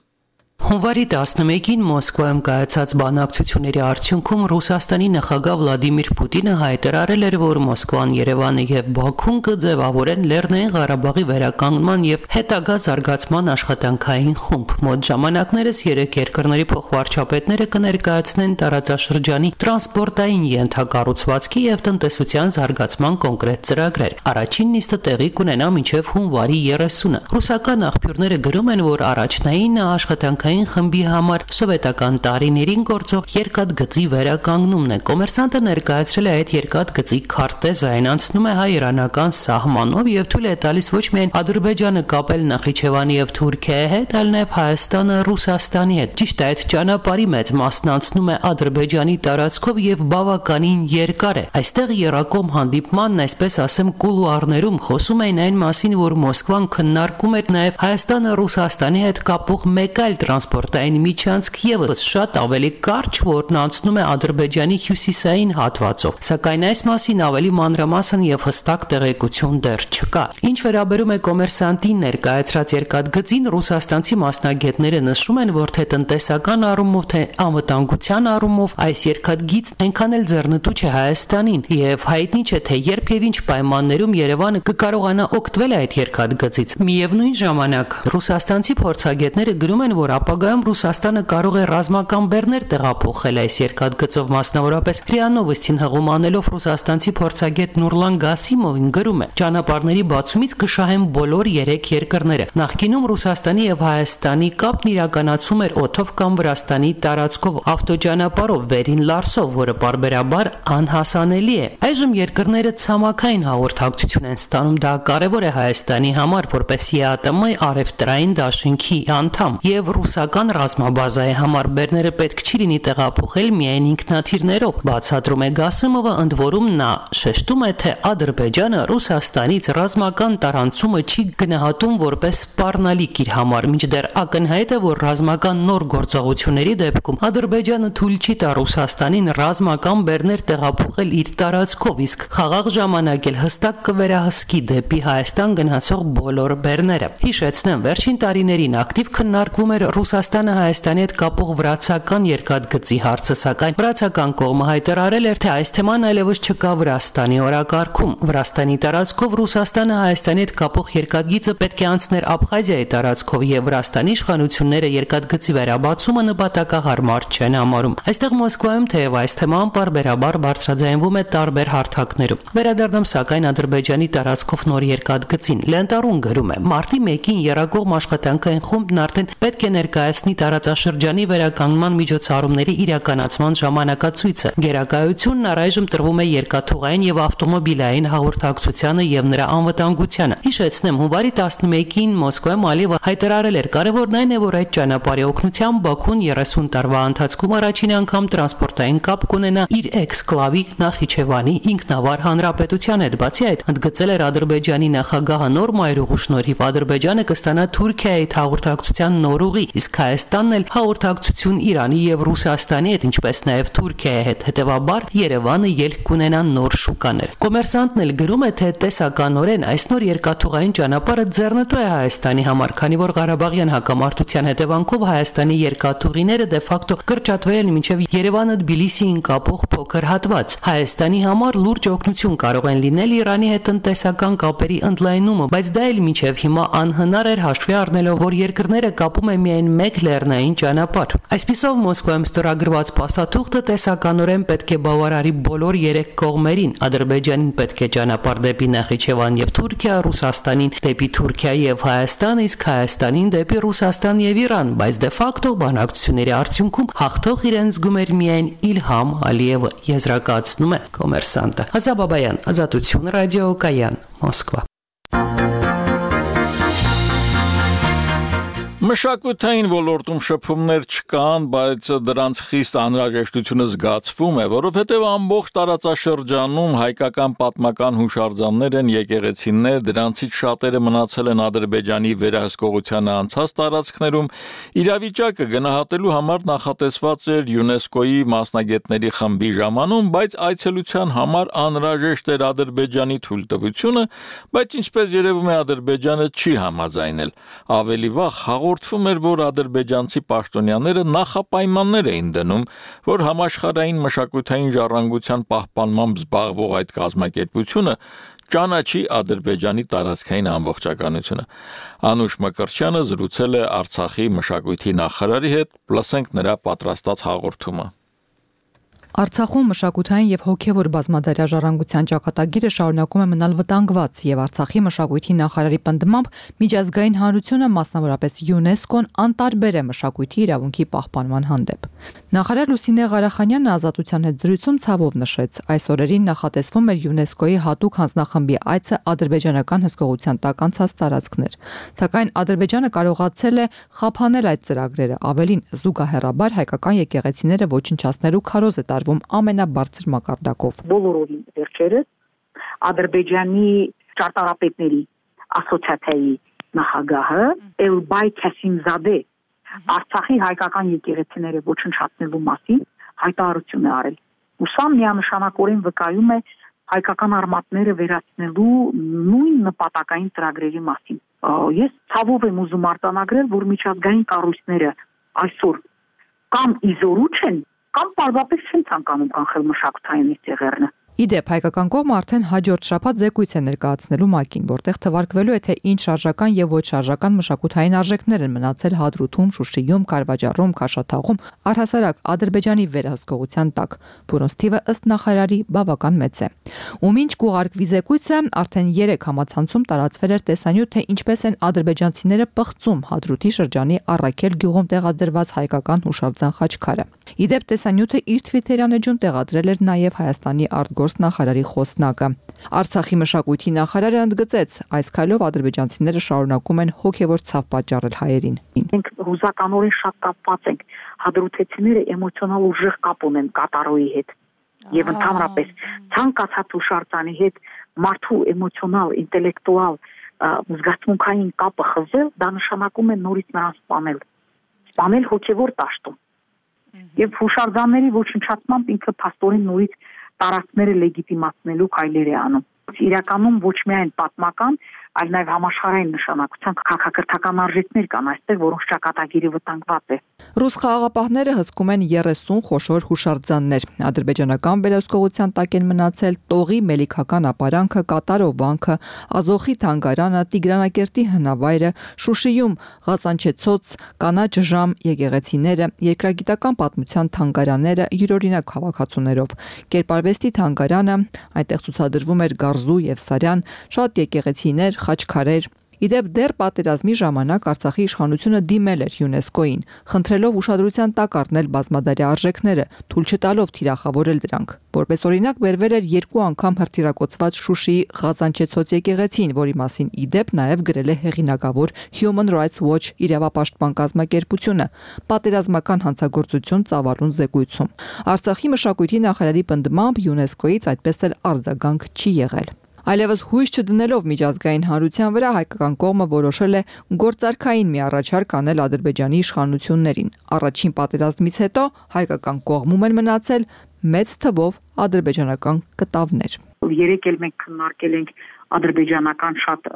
Հունվարի 11-ին Մոսկվայում կայացած բանակցությունների արդյունքում Ռուսաստանի նախագահ Վլադիմիր Պուտինը հայտարարել էր, որ Մոսկվան, Երևանը եւ Բաքուն կձևավորեն Լեռնային Ղարաբաղի վերականգնման եւ հետագա զարգացման աշխատանքային խումբ։ Մոտ ժամանակներս երեք երկրների փոխվարչապետները կներկայացնեն տարածաշրջանի տրանսպորտային ենթակառուցվածքի եւ տնտեսության զարգացման կոնկրետ ծրագրեր։ Առաջին նիստը տեղի կունենա մինչեւ հունվարի 30-ը։ Ռուսական աղբյուրները գրում են, որ առաջնային աշխատանքային խմբի համար սովետական տարիներին գործող երկաթգծի վերականգնումն է։ Կոմերսանտը ներկայացրել է այդ երկաթգծի քարտեզը, այն անցնում է հայ-իրանական սահմանով եւ թույլ է տալիս ոչ միայն Ադրբեջանը կապել Նախիջևանի եւ Թուրքիայի հետ, այլ նաեւ Հայաստանը Ռուսաստանի հետ։ Ճիշտ է, այդ ճանապարհի մեծ մասն անցնում է Ադրբեջանի տարածքով եւ բավականին երկար է։ Այստեղ եռակողմ հանդիպմանն, այսպես ասեմ, կուլուարներում խոսում էին այն մասին, որ Մոսկվան քննարկում էր նաեւ Հայաստանը Ռուսաստանի հետ կապող մեկ այլ տրանսպորտային միջանցք եւս շատ ավելի կարճ, որն անցնում է Ադրբեջանի հյուսիսային հատվածով, սակայն այս մասին ավելի մանրամասն եւ հստակ տեղեկություն դեռ չկա։ Ինչ վերաբերում է Կոմերսանտին ներկայացրած երկաթգծին, ռուսաստանցի մասնագետները նշում են, որ թե տնտեսական առումով, թե անվտանգության առումով այս երկաթգիծն այնքան էլ ձեռնտու չէ Հայաստանին եւ հայտնի չէ, թե երբ եւ ինչ պայմաններում Երևանը կկարողանա օգտվել այդ երկաթգծից։ Միևնույն ժամանակ ռուսաստանցի փորձագետները գրում են, որ ապագայում Ռուսաստանը կարող է ռազմական բեռներ տեղափոխել այս երկաթգծով, մասնավորապես ՌԻԱ Նովոստին հղում անելով ռուսաստանցի փորձագետ Նուրլան Գասիմովին գրում է. ճանապարհների բացումից կշահեն բոլոր 3 երկրները։ Նախկինում Ռուսաստանի եւ Հայաստանի կապն իրականացվում էր օդով կամ Վրաստանի տարածքով ավտոճանապարհով վերին Լարսով, որը պարբերաբար անհասանելի է։ Այժմ երկրները ցամաքային հաղորդակցություն են ստանում, դա կարևոր է Հայաստանի համար, որպես ԵԱՏՄ առևտրային դաշինքի անդամ, եւ ռուսական ռազմաբազայի համար բեռները պետք չի լինի տեղափոխել միայն ինքնաթիռներով, բացատրում է Գասիմովը, ընդ որում նա շեշտում է, թե Ադրբեջանը Ռուսաստանից ռազմական տարանցումը չի գնահատում որպես սպառնալիք իր համար, մինչդեռ ակնհայտ է, որ ռազմական նոր գործողությունների դեպքում Ադրբեջանը թույլ չի տա Ռուսաստանին ռազմական բեռներ տեղափոխել իր տարածքով, իսկ խաղաղ ժամանակ էլ հստակ կվերահսկի դեպի Հայաստան գնացող բոլոր բեռները։ Հիշեցնեմ, վերջին տարիներին ակտիվ քննարկվում էր Ռուսաստանը Հայաստանի հետ կապող վրացական երկաթգծի հարցը, սակայն վրացական կողմը հայտարարել էր, թե այս թեման այլևս չկա Վրաստանի օրակարգում։ Վրաստանի տարածքով Ռուսաստանը Հայաստանի հետ կապող երկաթգիծը պետք է անցներ Աբխազիայի տարածքով եւ Վրաստանի իշխանությունները երկաթգծի վերաբացումը նպատակահարմար չեն համարում։ Այստեղ Մոսկվայում թեև այս թեման պարբերաբար բարձրաձայնվում է տարբեր հարթակներում։ Վերադառնում սակայն Ադրբեջանի տարածքով նոր երկաթգծին։ Լենտարուն գրում է. մարտի 1-ին եռակողմ աշխատանքային խումբն արդեն պետք է ներկայացնի տարածաշրջանի վերականգնման միջոցառումների իրականացման ժամանակացույցը։ Գերակայությունն առայժմ տրվում է երկաթուղային եւ ավտոմոբիլային հաղորդակցությանը եւ նրա անվտանգությանը։ Հիշեցնեմ, հունվարի 11-ին Մոսկվայում Ալիևը հայտարարել էր, կարևորն այն է, որ այդ ճանապարհի օգնությամբ Բաքուն 30 տարվա ընթացքում առաջին անգամ տրանսպորտային կապ կունենա իր էքսկլավի Նախիջևանի ինքնավար հանրապետության հետ։ Բացի այդ, ընդգծել էր Ադրբեջանի նախագահը նոր մայրուղու շնորհիվ Ադրբեջանը կստանա Թուրքիայի հաղորդակցության նոր ուղի, իսկ Հայաստանն էլ հաղորդակցություն Իրանի եւ Ռուսաստանի հետ, ինչպես նաեւ Թուրքիայի հետ։ Հետևաբար Երևանը ելք կունենա նոր շուկաներ։ Կոմերսանտն էլ գրում է, թե տեսականորեն այս նոր երկաթուղային ճանապարհը ձեռնտու է Հայաստանի համար, քանի որ Ղարաբաղյան հակամարտության հետևանքով Հայաստանի երկաթուղիները դե ֆակտո կրճատվել են մինչև Երևանը-Թբիլիսիին կապող փոքր հատված։ Հայաստանի համար լուրջ օգնություն կարող են լինել Իրանի հետ տնտեսական կապերի ընդլայնումը, բայց դա էլ մինչև հիմա անհնար էր հաշվի առնելով, որ երկրները կապում են միայն մեկ լեռնային ճանապարհ։ Այսպիսով Մոսկվայում ստորագրված փաստաթուղթը տեսականորեն պետք է բավարարի բոլոր երեք կողմերին։ Ադրբեջանին պետք է ճանապարհ դեպի Նախիջևան եւ Թուրքիա, Ռուսաստանին դեպի Թուրքիա եւ Հայաստան, իսկ Հայաստանին դեպի Ռուսաստան եւ Իրան, բայց դե ֆակտո բանակցությունների արդյունքում հաղթող իրեն զգում էր միայն Իլհամ Ալիևը, եզրակացնում է Կոմերսանտը։ Ազաբաբայան, Ազատություն, Ռադիո Կայան, Մոսկվա։ Մշակութային ոլորտում շփումներ չկան, բայց դրանց խիստ անհրաժեշտությունը զգացվում է, որովհետև ամբողջ տարածաշրջանում հայկական պատմական հուշարձաններ են, եկեղեցիներ, դրանցից շատերը մնացել են Ադրբեջանի վերահսկողությանը անցած տարածքներում։ Իրավիճակը գնահատելու համար նախատեսված էր ՅՈՒՆԵՍԿՕ-ի մասնագետների խմբի ժամանում, բայց այցելության համար անհրաժեշտ էր Ադրբեջանի թույլտվությունը, բայց ինչպես երևում է Ադրբեջանը չի համաձայնել։ Ավելի վաղ հաղորդվում էր, որ ադրբեջանցի պաշտոնյաները նախապայմաններ էին դնում, որ համաշխարհային մշակութային ժառանգության պահպանմամբ զբաղվող այդ կազմակերպությունը ճանաչի Ադրբեջանի տարածքային ամբողջականությունը։ Անուշ Մկրտչյանը զրուցել է Արցախի մշակույթի նախարարի հետ, լսենք նրա պատրաստած հաղորդումը։ Արցախում մշակութային եւ հոգեվոր բազմադարյա ժառանգության ճակատագիրը շարունակում է մնալ վտանգված եւ Արցախի մշակույթի նախարարի պնդմամբ միջազգային հանրությունը, մասնավորապես ՅՈՒՆԵՍԿՕ-ն անտարբեր է մշակույթի իրավունքի պահպանման հանդեպ։ Նախարար Լուսինե Ղարախանյանը Ազատության հետ զրույցում ցավով նշեց, այս օրերին նախատեսվում էր ՅՈՒՆԵՍԿՕ-ի հատուկ հանձնախմբի այցը ադրբեջանական հսկողության տակ անցած տարածքներ, սակայն Ադրբեջանը կարողացել է խափանել այդ ծրագրերը, ավելին զուգահեռաբար հայկական եկեղեցիները ոչնչացնելու քարոզ է ամենաբարձր մակարդակով։ Բոլորովին վերջերս Ադրբեջանի ճարտարապետների ասոցիացիայի նախագահը Էլբայ Քասիմզադե Արցախի հայկական եկեղեցիները ոչնչացնելու մասին հայտարարություն է արել։ Ու սա միանշանակորեն վկայում է հայկական արմատները վերացնելու նույն նպատակային ծրագրերի մասին։ Ես ցավով եմ ուզում արձանագրել, որ միջազգային կառույցները այսօր կամ իզորու չեն, կամ պարզապես չեն ցանկանում կանխել մշակութային ծեղերնը։ Իդեպ հայկական կողմը արդեն հաջորդ շաբաթ զեկույց է ներկայացնելու ՄԱԿ-ին, որտեղ թվարկվելու է, թե ինչ շարժական եւ ոչ շարժական մշակութային արժեքներ են մնացել Հադրութում, Շուշիում, Կարվաճառում, Քաշաթաղում, առհասարակ Ադրբեջանի վերահսկողության տակ, որոնց թիվը ըստ նախարարի բավական մեծ է։ Ու մինչ կուղարկվի զեկույցը, արդեն 3 համացանցում տարածվել էր տեսանյութ, թե ինչպես են ադրբեջանցիները պղծում Հադրութի շրջանի Առաքել գյուղում տեղադրված հայկական հուշարձան խաչքարը։ Իդեպ տեսանյութը իր Twitter-յան էջում տեղադրել էր նաև Հայաստանի արտգործ նախարարի խոսնակը։ Արցախի մշակույթի նախարարը ընդգծեց, այս քայլով ադրբեջանցիները շարունակում են հոգևոր ցավ պատճառել հայերին։ Մենք հուզականորեն շատ կապված ենք, հադրութեցիները էմոցիոնալ ուժեղ կապ ունեն կատարոյի հետ եւ ընդհանրապես ցանկացած հուշարձանի հետ մարդու էմոցիոնալ, ինտելեկտուալ, զգացմունքային կապը խզել, դա նշանակում է նորից նրան սպանել հոգևոր տաշտում։ Եվ հուշարձանների ոչնչացմամբ ինքը փաստորեն նորից տարածքները լեգիտիմացնելու քայլեր է անում։ Իրականում ոչ միայն պատմական, այլ նաև համաշխարհային նշանակության քաղաքակրթական արժեքներ կան այստեղ, որոնց ճակատագիրը վտանգված է։ Ռուս խաղաղապահները հսկում են 30 խոշոր հուշարձաններ։ Ադրբեջանական վերահսկողության տակ են մնացել Տողի Մելիքական ապարանքը, Կատարով վանքը, Ազոխի թանգարանը, Տիգրանակերտի հնավայրը, Շուշիում Ղազանչեցոց, Կանաչ ժամ եկեղեցիները, երկրագիտական պատմության թանգարանները յուրօրինակ հավաքածուներով, Կերպարվեստի թանգարանը, այնտեղ ցուցադրվում էր Գարզու եւ Սարյան, շատ եկեղեցիներ, խաչքարեր։ Իդեպ դեռ պատերազմի ժամանակ Արցախի իշխանությունը դիմել էր ՅՈՒՆԵՍԿՕ-ին, խնդրելով ուշադրության տակ առնել բազմադարյա արժեքները, թույլ չտալով թիրախավորել դրանք։ Որպես օրինակ բերվել էր 2 անգամ հրթիռակոծված Շուշիի Ղազանչեցոց եկեղեցին, որի մասին իդեպ նաև գրել է հեղինակավոր Human Rights Watch իրավապաշտպան կազմակերպությունը, պատերազմական հանցագործություն ծավալուն զեկույցում։ Արցախի մշակույթի նախարարի պնդմամբ ՅՈՒՆԵՍԿՕ-ից այդպես էլ արձագանք չի եղել։ Այլևս հույս չդնելով միջազգային հանրության վրա հայկական կողմը որոշել է գործարքային մի առաջարկ անել Ադրբեջանի իշխանություններին։ Առաջին պատերազմից հետո հայկական կողմում են մնացել մեծ թվով ադրբեջանական կտավներ։ Երեք էլ մենք քննարկել ենք ադրբեջանական շատ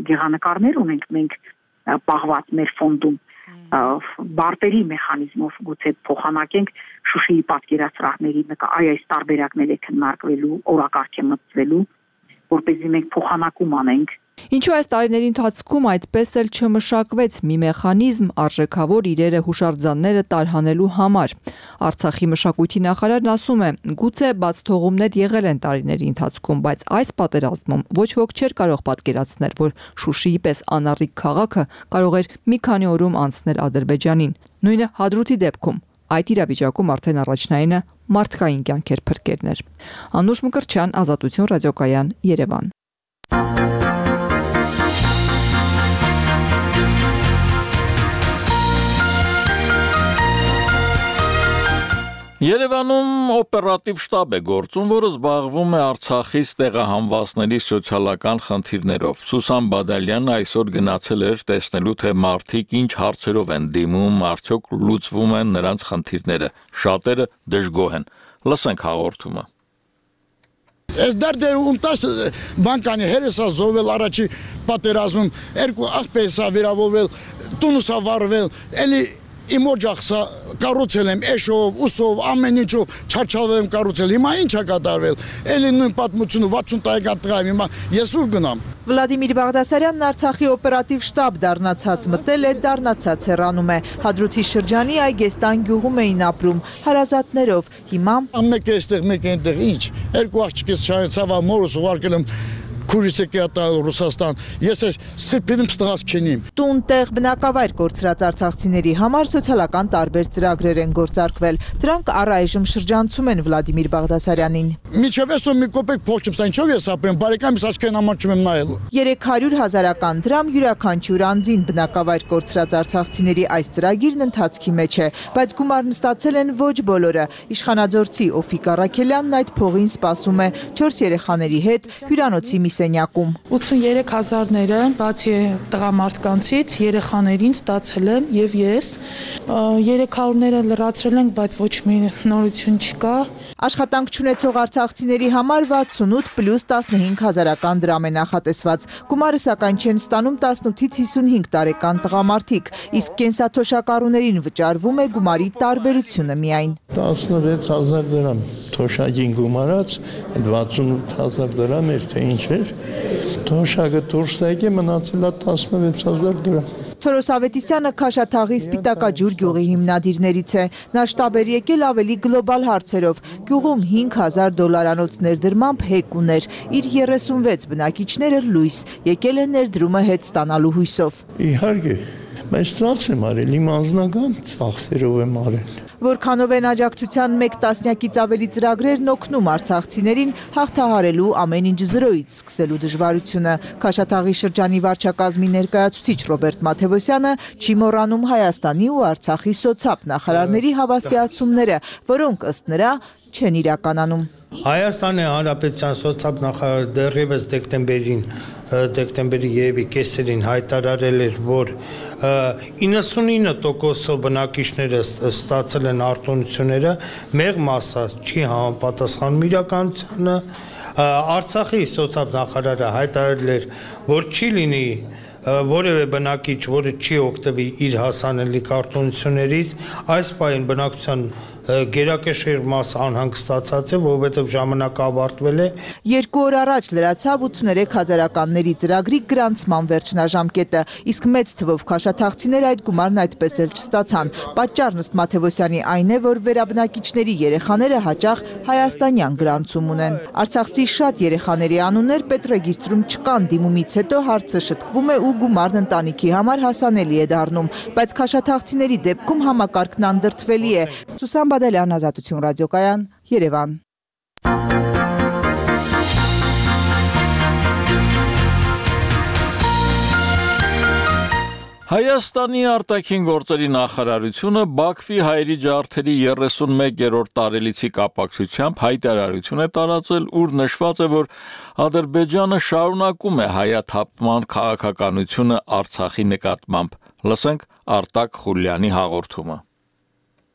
գեղանկարներ ունենք մենք պահված մեր ֆոնդում բարտերի մեխանիզմով գուցե փոխանակենք Շուշիի պատկերասրահների այս տարբերակները քննարկվելու, օրակարգ է մտցվելու, որպեսզի մենք փոխանակում անենք։ Ինչու այս տարիների ընթացքում այդպես էլ չմշակվեց մի մեխանիզմ արժեքավոր իրերը հուշարձանները տարհանելու համար։ Արցախի մշակույթի նախարարն ասում է, գուցե բաց թողումներ եղել են տարիների ընթացքում, բայց այս պատերազմում ոչ ոք չէր կարող պատկերացնել, որ Շուշիի պես անառիկ քաղաքը կարող էր մի քանի օրում անցնել Ադրբեջանին։ Նույնը Հադրութի դեպքում։ Այդ իրավիճակում արդեն առաջնայինը մարդկային կյանքեր փրկելն էր։ Անուշ Մկրտչյան, Ազատություն ռադիոկայան, Երևան։ Երևանում օպերատիվ շտաբ է գործում, որը զբաղվում է Արցախից տեղահանվածների սոցիալական խնդիրներով։ Սուսան Բադալյանը այսօր գնացել էր տեսնելու, թե մարդիկ ինչ հարցերով են դիմում, արդյոք լուծվում են նրանց խնդիրները։ Շատերը դժգոհ են։ Լսենք հաղորդումը։ Այս դարձը ումտաս բանկանի հերեսա զովել առաջի պատերազմում երկու աղբերսա վիրավորվել, տունուսա վարվել, էլի իմ օջախսա կառուցել եմ էշով, ուսով, ամեն ինչով չարչավել եմ կառուցել։ Հիմա ինչ է կատարվել։ Էլի նույն պատմությունը 60 տարեկան տղա եմ, հիմա ես ուր գնամ։ Վլադիմիր Բաղդասարյանն Արցախի օպերատիվ շտաբ դառնացած մտել է, դառնացած հեռանում է։ Հադրութի շրջանի Այգեստան գյուղում էին ապրում հարազատներով։ Հիմա մեկը այստեղ, մեկը այնտեղ, ինչ։ Երկու աղջիկս չայցավ, մորս ուղարկել եմ քուրիսը կյատալ Ռուսաստան, ես այս սրբիվիմ ստղաս քենիմ։ Տուն տեղ բնակավայր կորցրած արցախցիների համար սոցիալական տարբեր ծրագրեր են գործարկվել։ Դրանք առայժմ շրջանցում են Վլադիմիր Բաղդասարյանին։ Միջև էսո մի կոպեկ փող չեմ, ինչով ես ապրեմ, բարեկամիս աչքերին ամանչում եմ նայելու։ 300,000 դրամ յուրաքանչյուր անձին բնակավայր կորցրած արցախցիների այս ծրագիրն ընթացքի մեջ է, բայց գումարն ստացել են ոչ բոլորը։ Իշխանաձորցի Օֆիկ Առաքելյանն այդ փողին սպասում է 4 երեխաների հետ հյուրանոցի մի սենյակում։ 83,000-ները բացի տղամարդկանցից երեխաներին ստացել եմ եւ ես 300-ները լրացրել ենք, բայց ոչ մի նորություն չկա։ Աշխատանք չունեցող արցախցիների համար 68 պլյուս 15,000 դրամ է նախատեսված։ Գումարը սակայն չեն ստանում 18-ից 55 տարեկան տղամարդիկ, իսկ կենսաթոշակառուներին վճարվում է գումարի տարբերությունը միայն։ 16,000 դրամ թոշակին գումարած, 68,000 դրամ էր, թե ինչ էր։ Թոշակը դուրս եկե մնացել է 16,000 դրամ։ Թորոս Ավետիսյանը Քաշաթաղի Սպիտակաջուր գյուղի հիմնադիրներից է։ Նա շտաբ էր եկել ավելի գլոբալ հարցերով։ Գյուղում $5,000 ներդրմամբ հեկ ուներ։ Իր 36 բնակիչները լույս, եկել է ներդրումը հետ ստանալու հույսով։ Իհարկե, բայց ծախս եմ արել, իմ անձնական ծախսերով եմ արել։ Որքանով են աջակցության 1 տասնյակից ավելի ծրագրերն օգնում արցախցիներին հաղթահարելու ամեն ինչ զրոյից սկսելու դժվարությունը։ Քաշաթաղի շրջանի վարչակազմի ներկայացուցիչ Ռոբերտ Մաթևոսյանը չի մոռանում Հայաստանի ու Արցախի սոցապ նախարարների հավաստիացումները, որոնք ըստ նրա չեն իրականանում։ Հայաստանի Հանրապետության սոցիալ նախարարը դեռևս դեկտեմբերի երևի կեսերին հայտարարել էր, որ 99% բնակիչները ստացել են արտոնությունները, մեկ մասը չի համապատասխանում իրականությանը։ Արցախի սոցիալ նախարարը հայտարարել էր, որ չի լինի որևէ բնակիչ, որը չի օգտվի իր հասանելիք արտոնություններից, այս պահին բնակության գերակշիռ մասը անհանգստացած է, որովհետև ժամանակը ավարտվել է։ 2 օր առաջ լրացավ 83,000-ականների ծրագրի գրանցման վերջնաժամկետը, իսկ մեծ թվով քաշաթաղցիներ այդ գումարն այդպես էլ չստացան։ Պատճառն ըստ Մաթևոսյանի այն է, որ վերաբնակիչների երեխաները հաճախ հայաստանյան գրանցում ունեն։ Արցախցի շատ երեխաների անուններ պետռեգիստրում չկան, դիմումից հետո հարցը շտկվում է ու գումարն ընտանիքի համար հասանելի է դառնում, բայց քաշաթաղցիների դեպքում համակարգն անդրդվելի է։ Սուսան Բադալյան, Ազատություն ռադիոկայան, Երևան։ Հայաստանի արտաքին գործերի նախարարությունը Բաքվի հայերի ջարդերի 31-րդ տարելիցի կապակցությամբ հայտարարություն է տարածել, ուր նշված է, որ Ադրբեջանը շարունակում է հայաթափման քաղաքականությունը Արցախի նկատմամբ։ Լսենք Արտակ Խուլյանի հաղորդումը։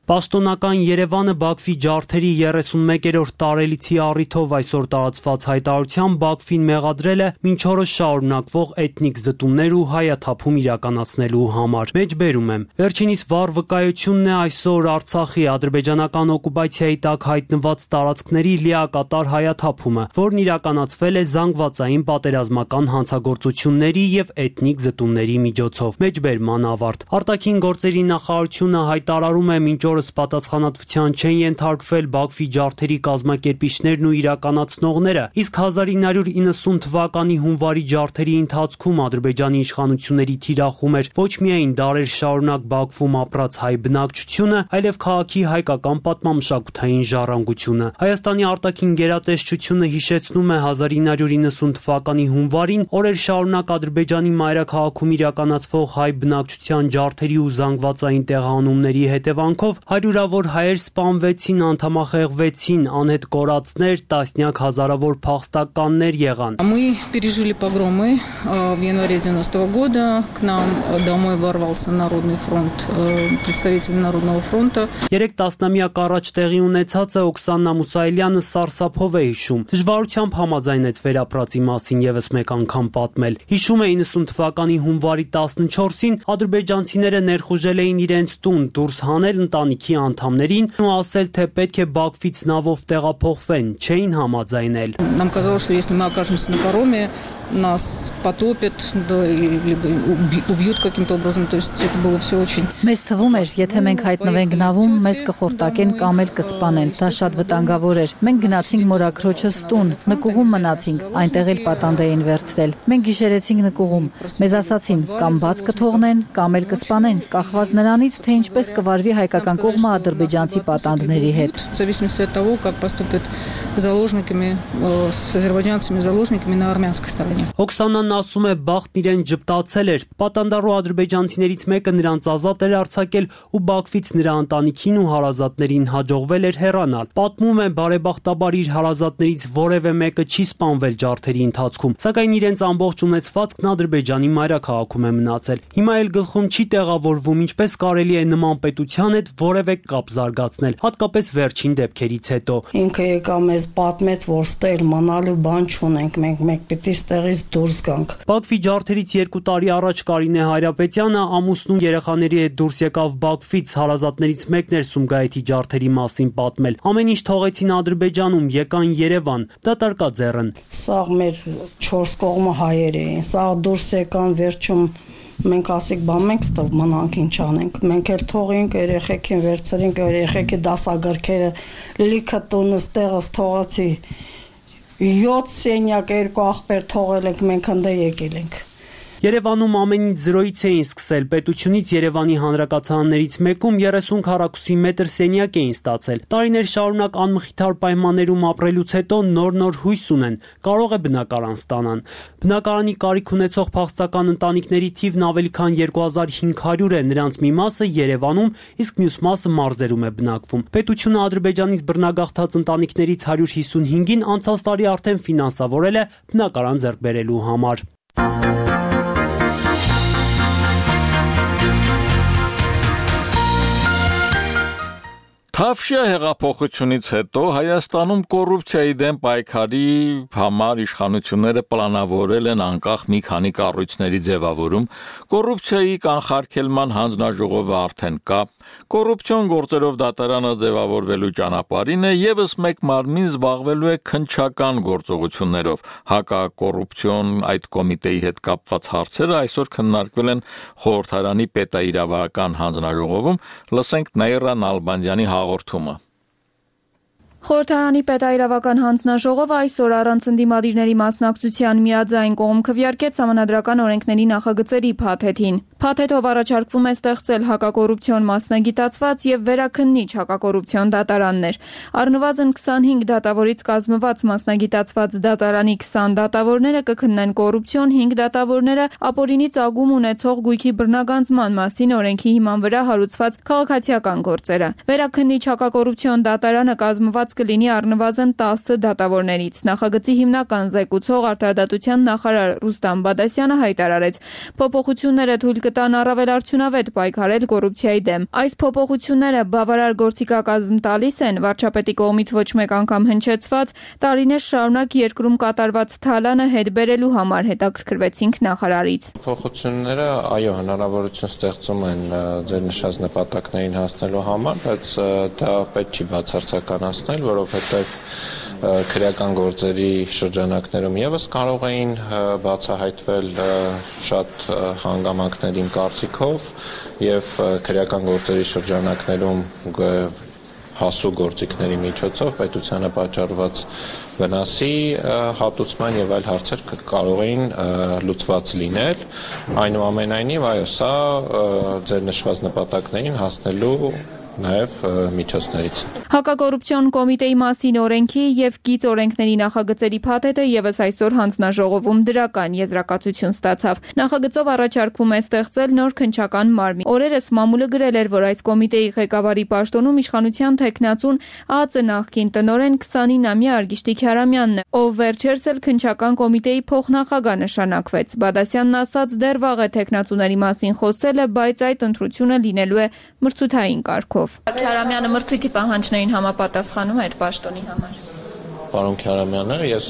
Պաշտոնական Երևանը Բաքվի ջարդերի 31-րդ տարելիցի առիթով այսօր տարածված հայտարարությամբ Բաքվին մեղադրել է մինչ օրս շարունակվող էթնիկ զտումներ ու հայաթափում իրականացնելու համար։ Մեջբերում եմ։ Վերջինիս վառ վկայությունն է այսօր Արցախի ադրբեջանական օկուպացիայի տակ հայտնված տարածքների լիակատար հայաթափումը, որն իրականացվել է զանգվածային պատերազմական հանցագործությունների եւ էթնիկ զտումների միջոցով։ Մեջբերման ավարտ։ Արտաքին գործերի նախարարությունը հայտարարում է մինչ պատասխանատվության չեն ենթարկվել Բաքվի ջարդերի կազմակերպիչներն ու իրականացնողները, իսկ 1990 թվականի հունվարի ջարդերի ընթացքում Ադրբեջանի իշխանությունների թիրախում էր ոչ միայն դարեր շարունակ Բաքվում ապրած հայ բնակչությունը, այլև քաղաքի հայկական պատմամշակութային ժառանգությունը։ Հայաստանի արտաքին գերատեսչությունը հիշեցնում է 1990 թվականի հունվարին օրեր շարունակ Ադրբեջանի մայրաքաղաքում իրականացվող հայ բնակչության ջարդերի ու զանգվածային տեղահանումների հետևանքով հարյուրավոր հայեր սպանվեցին, անդամախեղվեցին, անհետ կորածներ, տասնյակ հազարավոր փախստականներ եղան։ Мы пережили погромы в январе 90-го года. К нам домой ворвался Народный фронт, представитель Народного фронта. 3 տասնամյակ առաջ տեղի ունեցածը Օքսանա Մուսայելյանը սարսափով է հիշում։ Դժվարությամբ համաձայնեց վերապրածի մասին եւս մեկ անգամ պատմել։ Հիշում է 90 թվականի հունվարի 14-ին ադրբեջանցիները ներխուժել էին իրենց տուն, դուրս հանել ընտանիքի անդամներին ու ասել, թե պետք է Բաքվից նավով տեղափոխվեն, չէին համաձայնել։ Нам казалось, что если мы окажемся на пароме, нас потопят, да, либо убьют каким-то образом, то есть это было все очень. Մեզ թվում էր, եթե մենք հայտնվենք նավում, մեզ կխորտակեն կամ էլ կսպանեն։ Դա շատ վտանգավոր էր։ Մենք գնացինք մորաքրոջս տուն, նկուղում մնացինք, այնտեղ էլ պատանդ էին վերցրել։ Մենք գիշերեցինք նկուղում։ Մեզ ասացին, կամ բաց կթողնեն, կամ էլ կսպանեն, կախված նրանից, թե ինչպես կվարվի հայկական կողմը ադրբեջանցի պատանդների հետ։ В зависимости от того, как поступят заложниками, с азербайджанцами заложниками на армянской стороне. Օքսանան ասում է, բախտն իրեն ճպտացել էր։ Պատանդարու ադրբեջանցիներից մեկը նրանց ազատ էր արձակել ու Բաքվից նրա ընտանիքին ու հարազատներին հաջողվել էր հեռանալ։ Պատմում է, բարեբախտաբար իր հարազատներից որևէ մեկը չի սպանվել ջարդերի ընթացքում, սակայն իրենց ամբողջ ունեցվածքն Ադրբեջանի մայրաքաղաքում է մնացել։ Հիմա էլ գլխում չի տեղավորվում, ինչպես կարելի է նման պետության հետ որևէ կապ զարգացնել, հատկապես վերջին դեպքերից հետո։ Ինքը եկա մեզ պատմեց, որ ստել մնալու բան չունենք, մենք պիտի ստեղից դուրս գանք։ Բաքվի ջարդերից 2 տարի առաջ Կարինե Հայրապետյանը ամուսնու երեխաների հետ դուրս եկավ Բաքվից, հարազատներից մեկն էր Սումգայիթի ջարդերի մասին պատմել։ Ամեն ինչ թողեցին Ադրբեջանում, եկան Երևան, դատարկաձեռն։ Սաղ մեր 4 կողմը հայեր էին, սաղ դուրս եկան վերջում մենք ասիկ բան մենք ստով մնանք ինչ անենք, մենք էլ թողինք երեխեքին վերցրինք, երեխեքի դասագրքերը լիքը տունս տեղս թողացի 7 սենյակ 2 աղբեր թողել ենք, մենք հնդե եկել ենք։ Երևանում ամեն ինչ զրոյից էին սկսել, պետությունից Երևանի հանրակացարաններից մեկում 30 քառակուսի մետր սենյակ էին ստացել։ Տարիներ շարունակ անմխիթար պայմաններում ապրելուց հետո նոր հույս ունեն, կարող է բնակարան ստանան։ Բնակարանի կարիք ունեցող փախստական ընտանիքների թիվն ավելի քան 2500 է, նրանց մի մասը Երևանում, իսկ մյուս մասը մարզերում է բնակվում։ Պետությունը Ադրբեջանից բռնագաղթած ընտանիքներից 155-ին անցած տարի արդեն ֆինանսավորել է բնակարան ձեռք բերելու համար։ Թավշյա հեղափոխությունից հետո Հայաստանում կոռուպցիայի դեմ պայքարի համար իշխանությունները պլանավորել են անկախ մի քանի կառույցների ձևավորում, կոռուպցիայի կանխարգելման հանձնաժողովը արդեն կա, կոռուպցիոն գործերով դատարանը ձևավորվելու ճանապարհին է, եւս մեկ մարմին զբաղվելու է քննչական գործողություններով։ Հակակոռուպցիոն այդ կոմիտեի հետ կապված հարցերը այսօր քննարկվել են խորհրդարանի պետաիրավական հանձնաժողովում, լսենք Նաիրա Նալբանդյանի հաղորդումը։ Խորհրդարանի պետաիրավական հանձնաժողովը այսօր առանց ընդդիմադիրների մասնակցության միաձայն կողմ քվեարկեց Սահմանադրական օրենքների նախագծերի փաթեթին։ Փաթեթով առաջարկվում է ստեղծել հակակոռուպցիոն մասնագիտացված եւ վերաքննիչ հակակոռուպցիոն դատարաններ։ Առնվազն 25 դատավորից կազմված մասնագիտացված դատարանի 20 դատավորները կքննեն կոռուպցիոն, 5 դատավորները ապօրինի ծագում ունեցող գույքի բռնագանձման մասին օրենքի հիման վրա հարուցված քաղաքացիական գործերը։ Վերաքննիչ հակակոռուպցիոն դատարանը կազմված կլինի առնվազն 10 դատավորներից։ Նախագծի հիմնական զեկուցող Արտադատության նախարար Ռուստամ Բադասյանը հայտարարեց. փոփոխությունները թույլ կտան առավել արդյունավետ պայքարել կոռուպցիայի դեմ։ Այս փոփոխությունները բավարար գործիքակազմ տալիս են վարչապետի կողմից ոչ մեկ անգամ հնչեցված տարիներ շարունակ երկրում կատարված թալանը հետ բերելու համար, հետաքրքրվեցինք նախարարից։ Փոփոխությունները, այո, հնարավորություն ստեղծում են ձեր նշած նպատակներին հասնելու համար, բայց դա պետք չի բացարձականացնել, որովհետև քրեական գործերի շրջանակներում եւս կարող էին բացահայտվել շատ հանգամանքներին կարծիքով եւ քրեական գործերի շրջանակներում հասու գործիքների միջոցով պետությանը պատճառված վնասի հատուցման եւ այլ հարցեր կարող էին լուծված լինել։ Այնուամենայնիվ, այո, սա ձեր նշված նպատակներին հասնելու նաև միջոցներից։ Հակակոռուպցիոն կոմիտեի մասին օրենքի եւ գիծ օրենքների նախագծերի փաթեթը եւս այսօր հանձնաժողովում դրական եզրակացություն ստացավ։ Նախագծով առաջարկվում է ստեղծել նոր քննչական մարմին։ Օրերս մամուլը գրել էր, որ այս կոմիտեի ղեկավարի պաշտոնում իշխանության թեկնածուն ԱԱԾ նախկին տնօրեն 29-ամյա Արգիշտի Քյարամյանն է, ով վերջերս էլ քննչական կոմիտեի փոխնախագահ նշանակվեց։ Բադասյանն ասաց, դեռ վաղ է թեկնածուների մասին խոսելը, բայց այդ ընտրությունը լինելու է մրցութային կարգով։ Քյարամյանը մրցույթի պահանջներին համապատասխանում է այդ պաշտոնի համար։ Պարոն Քյարամյանը, ես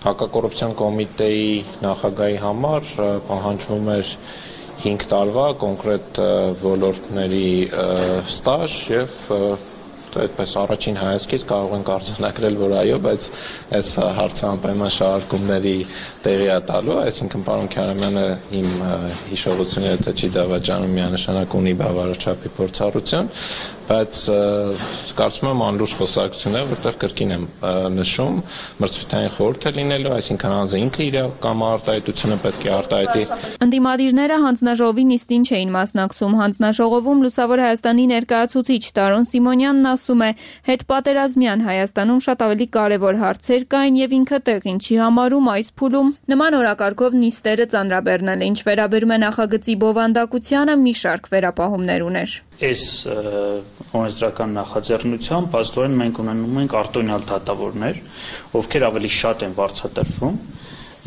հակակոռուպցիոն կոմիտեի նախագահի համար պահանջվում էր 5 տարվա կոնկրետ ոլորտների ստաժ եւ այդպես առաջին հայացքից կարող ենք արձանագրել, որ այո, բայց այս հարցը անպայման շարժումների տեղի է տալու, այսինքն պարոն Քյարամյանը իմ հիշողությունը եթե չի դավաճանում միանշանակ ունի բավարար չափի փորձառություն, բայց կարծում եմ անլուրջ խոսակցություն է, որտեղ կրկին եմ նշում, մրցութային խորհուրդ է լինելու, այսինքն անձը ինքը իր կամարտահայտությունը պետք է արտահայտի։ Ընդդիմադիրները հանձնաժողովի նիստին չէին մասնակցում։ Հանձնաժողովում Լուսավոր Հայաստանի ներկայացուցիչ Տարոն Սիմոնյանն ասում է, հետպատերազմյան Հայաստանում շատ ավելի կարևոր հարցեր կային եւ ինքը տեղին չի համարում այս փուլում նման օրակարգով նիստերը ծանրաբեռնել, ինչ վերաբերում է նախագծի բովանդակությանը, մի շարք վերապահումներ ուներ։ Այս օրենսդրական նախաձեռնությամբ աստորեն մենք ունենում ենք արտոնյալ դատավորներ, ովքեր ավելի շատ են վարձատրվում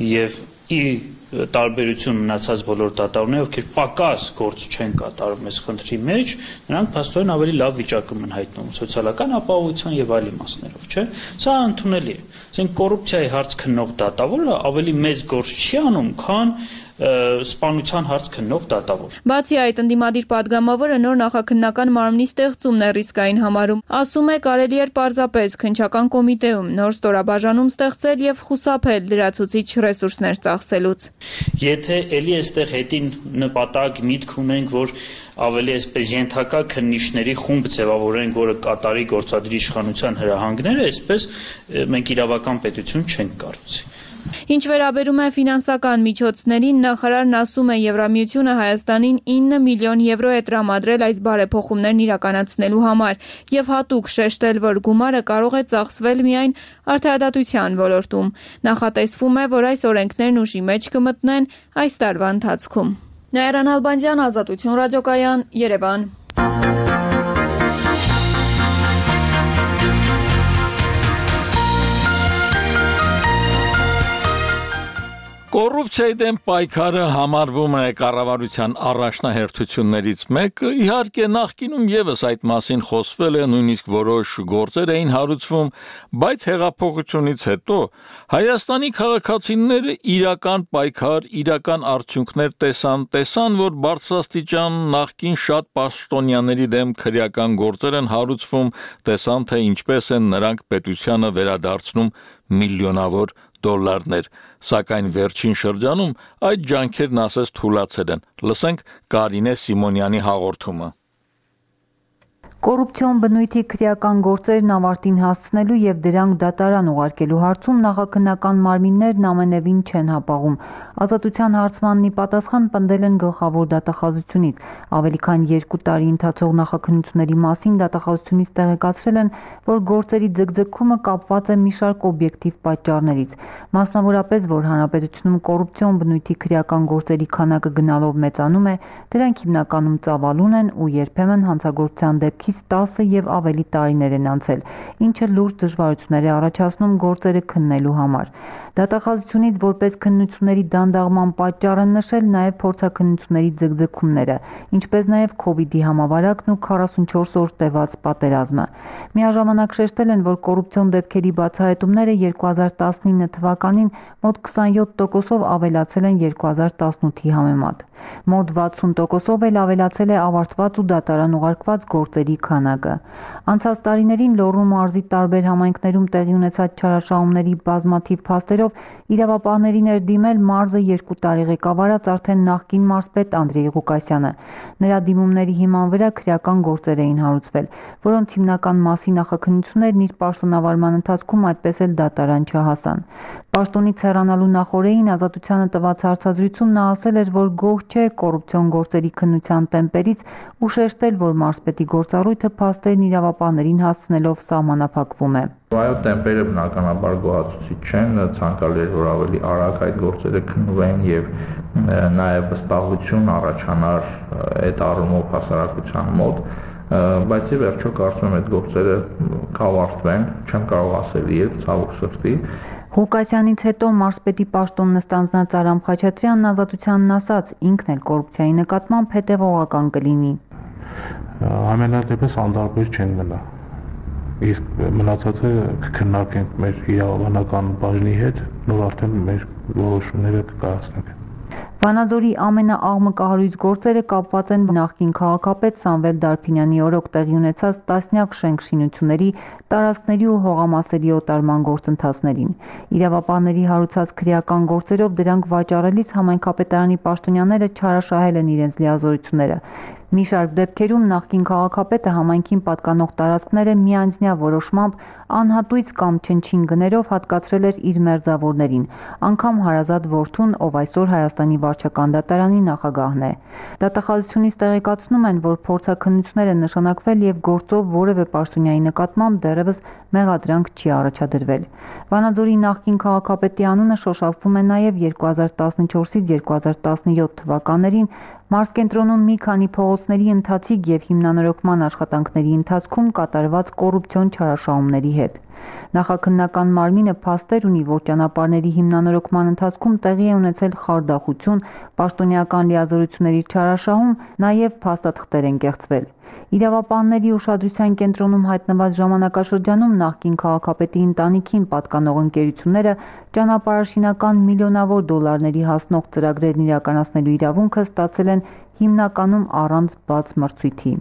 եւ ի տարբերություն մնացած բոլոր դատավորները, ովքեր պակաս գործ չեն կատարում այս խնդրի մեջ, նրանք փաստորեն ավելի լավ վիճակում են հայտնվում սոցիալական ապահովության եւ այլ իմաստներով, չէ՞։ Սա ընդունելի է։ Ասենք կոռուպցիայի հարց քննող դատավորը ավելի մեծ գործ չի անում, քան սպանության հարց քննող դատավոր։ Բացի այդ, ընդդիմադիր падգամավորը նոր նախաքննական մարմնի ստեղծումն է ռիսկային համարում։ Ասում է, կարելի էր պարզապես քննչական կոմիտեում նոր ստորաբաժանում ստեղծել եւ խուսափել լրացուցիչ ռեսուրսներ ծախսելուց։ Եթե ելի այստեղ հետին նպատակ միտք ունենք, որ ավելի այսպես ենթակա քննիչների խումբ ձևավորենք, որը կատարի գործադրի իշխանության հրահանգները, այսպես մենք իրավական պետություն չենք կառուցի։ Ինչ վերաբերում է ֆինանսական միջոցներին, նախարարն ասում է, Եվրամիությունը Հայաստանին 9 միլիոն եվրո է տրամադրել այս բարեփոխումներն իրականացնելու համար եւ հատուկ շեշտել, որ գումարը կարող է ծախսվել միայն արդարադատության ոլորտում։ Նախատեսվում է, որ այս օրենքներն ուժի մեջ կմտնեն այս տարվա ընթացքում։ Նաիրա Նալբանդյան, Ազատություն ռադիոկայան, Երևան։ Կոռուպցիայի դեմ պայքարը համարվում է կառավարության առաջնահերթություններից մեկը, իհարկե նախկինում եւս այդ մասին խոսվել է, նույնիսկ որոշ գործեր էին հարուցվում, բայց հեղափոխությունից հետո Հայաստանի քաղաքացիները իրական պայքար, իրական արդյունքներ տեսան, որ բարձրաստիճան նախկին շատ պաշտոնյաների դեմ քրեական գործեր են հարուցվում, տեսան, թե ինչպես են նրանք պետությանը վերադարձնում միլիոնավոր դոլարներ, սակայն վերջին շրջանում այդ ջանքերն ասես թուլացել են։ Լսենք Կարինե Սիմոնյանի հաղորդումը։ Կոռուպցիոն բնույթի քրեական գործերն ավարտին հասցնելու եւ դրանք դատարան ուղարկելու հարցում նախաքննական մարմիններն ամենևին չեն հապաղում։ Ազատության հարցմանն ի պատասխան պնդել են գլխավոր դատախազությունից։ Ավելի քան 2 տարի ընթացող նախաքննությունների մասին դատախազությունից տեղեկացրել են, որ գործերի ձգձգումը կապված է մի շարք օբյեկտիվ պատճառներից, մասնավորապես, որ հանրապետությունում կոռուպցիոն բնույթի քրեական գործերի քանակը գնալով մեծանում է, դրանք հիմնականում ծավալուն են ու երբեմն հանցագործության դեպքից 10 եւ ավելի տարիներ են անցել, ինչը լուրջ դժվարություններ է առաջացնում գործերը քննելու համար։ Դատախազությունից որպես քննությունների դանդաղման պատճառ են նշել նաև փորձաքննությունների ձգձգումները, ինչպես նաև COVID-ի համավարակն ու 44 օր տևած պատերազմը։ Միաժամանակ շեշտել են, որ կոռուպցիոն դեպքերի բացահայտումները 2019 թվականին մոտ 27%-ով ավելացել են 2018-ի համեմատ։ Մոտ 60%-ով էլ ավելացել է ավարտված ու դատարան ուղարկված գործերի քանակը։ Անցած տարիներին Լոռու մարզի տարբեր համայնքներում տեղի ունեցած չարաշահումների բազմաթիվ փաստերով իրավապահներին էր դիմել մարզը 2 տարի ղեկավարած արդեն նախկին մարզպետ Անդրեյ Ղուկասյանը։ Նրա դիմումների հիման վրա քրեական գործեր էին հարուցվել, որոնց հիմնական մասի նախաքննություններն իր պաշտոնավարման ընթացքում այդպես էլ դատարան չհասան։ Պաշտոնից հեռանալու նախօրեին Ազատությանը տված հարցազրույցում նա ասել էր, որ գոհ չէ կոռուպցիոն գործերի քննության տեմպերից ու շեշտել, որ մարզպետի գործառույթը փաստերն իրավապահներին հասցնելով սահմանափակվում է։ Այո, տեմպերը բնականաբար գոհացուցիչ չեն, ցանկալի էր, որ ավելի արագ այդ գործերը քննվեն եւ նաեւ վստահություն առաջանար այդ առումով հասարակության մոտ, բայց ի վերջո կարծում եմ այդ գործերը կավարտվեն, չեմ կարող ասել երբ, ցավոք սրտի։ Ղուկասյանից հետո մարզպետի պաշտոնն ստանձնած Արամ Խաչատրյանն Ազատությանն ասաց, ինքն էլ կոռուպցիայի նկատմամբ հետևողական կլինի։ Ամենատեպս անդարբեր չեն գնա։ Իսկ մնացածը կքննարկենք մեր իրավաբանական բաժնի հետ, նոր արդեն մեր որոշումները կկայացնենք։ Վանաձորի ամենաաղմկահարույց գործերը կապված են նախկին քաղաքապետ Սամվել Դարփինյանի օրոք տեղի ունեցած տասնյակ շենք-շինությունների, տարածքների ու հողամասերի օտարման գործընթացներին։ Իրավապահների հարուցած քրեական գործերով դրանք վաճառելիս համայնքապետարանի պաշտոնյաները չարաշահել են իրենց լիազորությունները։ Մի շարք դեպքերում նախկին քաղաքապետը համայնքին պատկանող տարածքները միանձնյա որոշմամբ անհատույց կամ չնչին գներով հատկացրել էր իր մերձավորներին, անգամ հարազատ որդուն, ով այսօր Հայաստանի վարչական դատարանի նախագահն է։ Դատախազությունից տեղեկացնում են, որ փորձաքննություններ են նշանակվել եւ գործով որևէ պաշտոնյայի նկատմամբ դեռևս մեղադրանք չի առաջադրվել։ Վանաձորի նախկին քաղաքապետի անունը շոշափվում է նաեւ 2014-ից 2017 թվականներին մարզկենտրոնում մի քանի փողոցների ընթացիկ եւ հիմնանորոգման աշխատանքների ընթացքում կատարված կոռուպցիոն չարաշահումների հետ։ Նախաքննական մարմինը փաստեր ունի, որ ճանապարհների հիմնանորոգման ընթացքում տեղի է ունեցել խարդախություն, պաշտոնյական լիազորությունների չարաշահում, նաեւ փաստաթղթեր են կեղծվել։ Իրավապահների ուշադրության կենտրոնում հայտնված ժամանակաշրջանում նախկին քաղաքապետի ընտանիքին պատկանող ընկերությունները ճանապարհաշինական միլիոնավոր դոլարների հասնող ծրագրերն իրականացնելու իրավունքը ստացել են հիմնականում առանց բաց մրցույթի։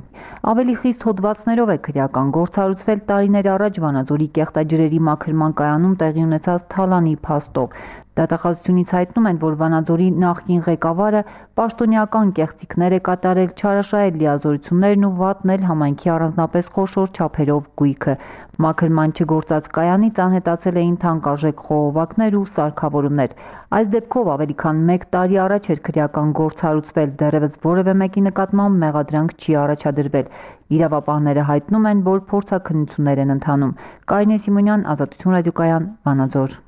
Ավելի խիստ հոդվածներով է քրեական գործ հարուցվել տարիներ առաջ Վանաձորի կեղտաջրերի մաքրման կայանում տեղի ունեցած թալանի փաստով։ Դատախազությունից հայտնում են, որ Վանաձորի նախկին ղեկավարը պաշտոնյական կեղծիքներ է կատարել, չարաշահել լիազորություններն ու վատնել համայնքի առանձնապես խոշոր չափերով գույքը։ Մաքրման չգործած կայանից անհետացել էին թանկարժեք խողովակներ ու սարքավորումներ։ Այս դեպքով ավելի քան 1 տարի առաջ էր քրեական գործ հարուցվել, դեռևս որևէ մեկի նկատմամբ մեղադրանք չի առաջադրվել։ Իրավապահները հայտնում են, որ փորձաքննություններ են ընթանում։ Կարինե Սիմոնյան, Ազատություն ռադիոկայան, Վանաձոր։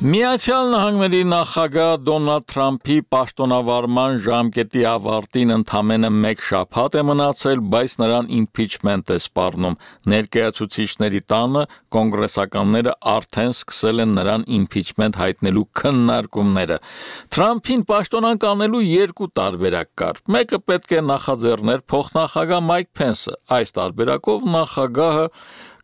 Միացյալ Նահանգների նախագահ Դոնալդ Թրամփի պաշտոնավարման ժամկետի ավարտին ընդամենը 1 շաբաթ է մնացել, բայց նրան իմպիչմենտ է սպառնում։ Ներկայացուցիչների տանը կոնգրեսականները արդեն սկսել են նրան իմպիչմենտ հայտնելու քննարկումները։ Թրամփին պաշտոնանկ անելու 2 տարբերակ կար։ Մեկը պետք է նախաձեռներ փոխնախագահ Մայք Փենսը։ Այս տարբերակով նախագահը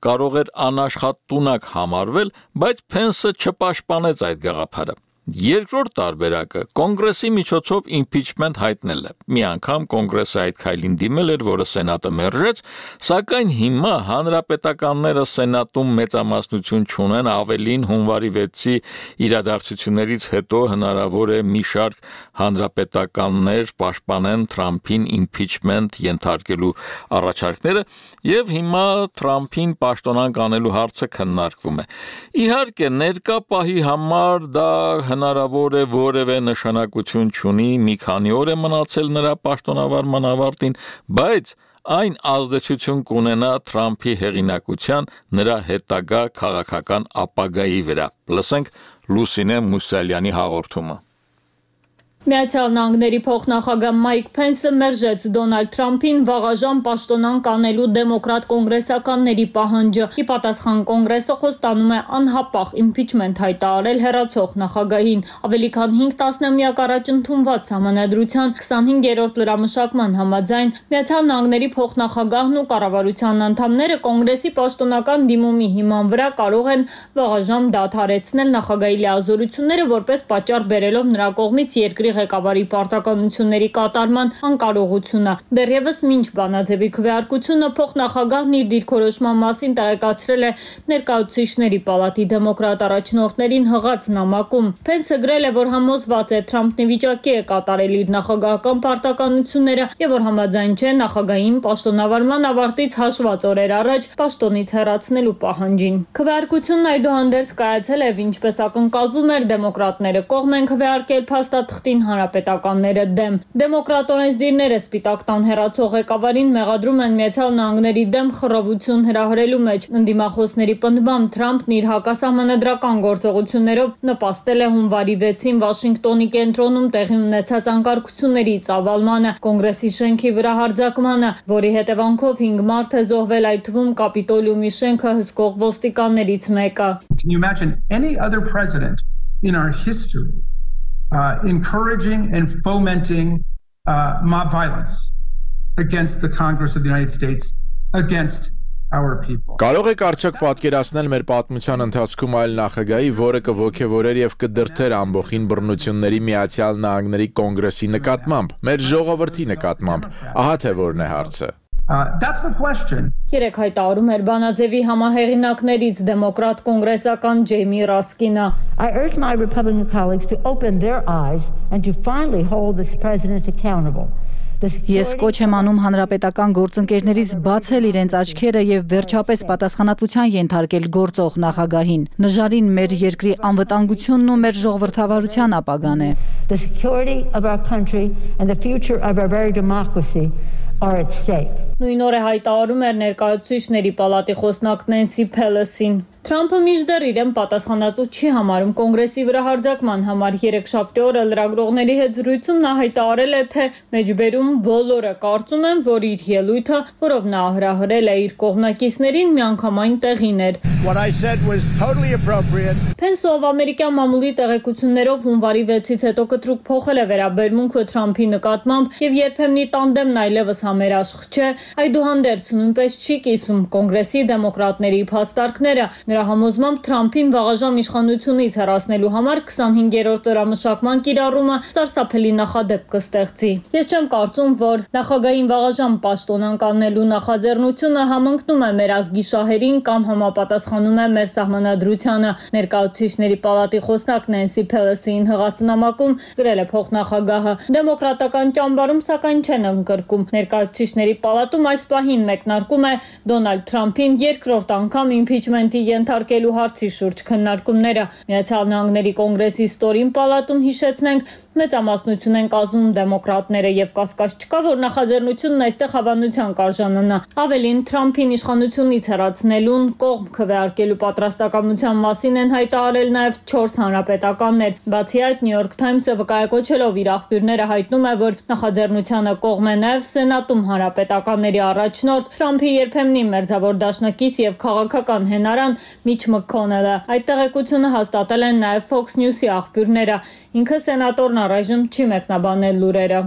կարող էր անաշխատ տունակ համարվել, բայց Փենսը չպաշտպանեց այդ գաղափարը։ Երկրորդ տարբերակը կոնգրեսի միջոցով impeachment հայտնել է։ Մի անգամ կոնգրեսը այդ քայլին դիմել էր, որը սենատը մերժեց, սակայն հիմա հանրապետականները սենատում մեծամասնություն չունեն, ավելին հունվարի 6-ի իրադարձություններից հետո հնարավոր է մի շարք հանրապետականներ պաշտպանեն Թրամփին impeachment ենթարկելու առաջարկները, եւ հիմա Թրամփին պաշտոնանկ անելու հարցը քննարկվում է։ Իհարկե, ներկա պահի համար դա հնարավոր է որևէ նշանակություն չունի, մի քանի օր է մնացել նրա պաշտոնավարման ավարտին, բայց այն ազդեցություն կունենա Թրամփի հեղինակության նրա հետագա քաղաքական ապագայի վրա։ Լսենք Լուսինե Մուսալյանի հաղորդումը։ Միացյալ Նահանգների փոխնախագահ Մայք Փենսը մերժեց Դոնալդ Թրամփին վաղաժամ պաշտոնանկ անելու դեմոկրատ կոնգրեսականների պահանջը։ Ի պատասխան կոնգրեսը խոստանում է անհապաղ impeachment հայտարարել հեռացող նախագահին։ Ավելի քան 5 տասնամյակ առաջ ընդունված համանadrության 25-րդ լրամշակման համաձայն Միացյալ Նահանգների փոխնախագահն ու կառավարության անդամները կոնգրեսի պաշտոնական դիմումի հիման վրա կարող են վաղաժամ դադարեցնել նախագահի լիազորությունները որպես պատճառ բերելով նրա կողմից երկրի ղեկավարի պարտականությունների կատարման անկարողությունը։ Դեռևս մինչ բանաձևի քվեարկությունը փոխնախագահն իր դիրքորոշման մասին տեղեկացրել է ներկայացուցիչների պալատի դեմոկրատ առաջնորդներին հղած նամակում։ Փենսը գրել է, որ համոզված է Թրամփն ի վիճակի է կատարել իր նախագահական պարտականությունները եւ որ համաձայն չէ նախագահային պաշտոնավարման ավարտից հաշված օրեր առաջ պաշտոնից հեռացնելու պահանջին։ Քվեարկությունն այդուհանդերձ կայացել է, ինչպես ակնկալվում էր, դեմոկրատները կողմ են քվեարկել փաստաթղթին հանրապետականները դեմ։ Դեմոկրատ օրենսդիրները Սպիտակ տան հեռացող ղեկավարին մեղադրում են Միացյալ Նահանգների դեմ խռովություն հրահրելու մեջ։ Ընդդիմախոսների պնդմամբ Թրամփն իր հակասահմանադրական գործողություններով նպաստել է հունվարի 6-ին Վաշինգտոնի կենտրոնում տեղի ունեցած անկարգությունների ծավալմանը, կոնգրեսի շենքի վրա հարձակմանը, որի հետևանքով 5 մարդ է զոհվել, այդ թվում Կապիտոլիումի շենքը հսկող ոստիկաններից մեկը։ Can you imagine any other president in our history encouraging and fomenting mob violence against the Congress of the United States, against our people. Կարող եք արդյոք պատկերացնել մեր պատմության ընթացքում այլ նախագահի, որը կողքեվորեր եւ կդրթեր ամբողջին բռնությունների Միացյալ Նահանգների կոնգրեսի նկատմամբ, մեր ժողովրդի նկատմամբ։ Ահա թե որն է հարցը։ That's the question. Երեք հայտարարում էր բանաձևի համահեղինակներից դեմոկրատ կոնգրեսական Ջեյմի Ռասկինը։ I urge my Republican colleagues to open their eyes and to finally hold this president accountable. Ես կոչ եմ անում հանրապետական գործընկերներից բացել իրենց աչքերը եւ վերջապես պատասխանատվության ենթարկել գործող նախագահին։ Նժարին մեր երկրի անվտանգությունն ու մեր ժողովրդավարության ապագան է։ The security of our country and the future of our very democracy are at stake. Նույն օրը հայտարարում էր ներկայացուցիչների պալատի խոսնակ Նենսի Փելոսին։ Թրամփը մինչդեռ իրեն պատասխանատու չի համարում կոնգրեսի վրա հարձակման համար։ Երեքշաբթի օրը լրագրողների հետ զրույցում նա հայտարարել է, թե մեջբերում բոլորը կարծում են, որ իր ելույթը, որով նա հրահրել է իր կողմնակիցներին, միանգամայն տեղին էր։ What I said was totally appropriate. Փենսը ամերիկյան մամուլի տեղեկություններով հունվարի 6-ից հետո կտրուկ փոխել է վերաբերմունքը Թրամփի նկատմամբ եւ երբեմնի տանդեմն այլևս համերաշխ չէ, այդուհանդերձ նույնպես չի կիսում կոնգրեսի դեմոկրատների փաստարկները։ Նրա համոզմամբ Թրամփին վաղաժամ իշխանությունից հեռացնելու համար 25-րդ լրամշակման կիրառումը սարսափելի նախադեպ կստեղծի։ Ես չեմ կարծում, որ նախագահային վաղաժամ պաշտոնանկ անելու նախաձեռնությունը համընկնում է մեր ազգի շահերին կամ համապատասխանում է մեր սահմանադրությանը։ Ներկայացուցիչների պալատի խոսնակ Նենսի Փելոսին հղած նամակում գրել է փոխնախագահը։ Դեմոկրատական ճամբարում սակայն չեն ընկրկում։ Ներկայացուցիչների պալատում այս պահին մեկնարկում է Դոնալդ Թրամփին երկրորդ անգամ impeachment-ի ենթարկելու հարցի շուրջ քննարկումները։ Միացյալ Նահանգների կոնգրեսի ստորին պալատում հիշեցնենք մեծամասնություն են կազմում դեմոկրատները եւ կասկած չկա, որ նախաձեռնությունն այստեղ հավանության կարժանանա։ Ավելին Թրամփին իշխանությունից հեռացնելուն կողմ քվեարկելու պատրաստակամության մասին են հայտարարել նաեւ 4 հանրապետականներ։ Բացի այդ, New York Times-ը վկայակոչելով իր աղբյուրները հայտնում է, որ նախաձեռնությանը կողմ է նաեւ Սենատում հանրապետականների առաջնորդ Թրամփի երբեմնի մերձավոր դաշնակից եւ քաղաքական հենարան Միչ Մքոնելը։ Այդ տեղեկությունը հաստատել են նաեւ Fox News-ի աղբյուրները։ Ինքը սենատորն առայժմ չի մեկնաբանել լուրերը։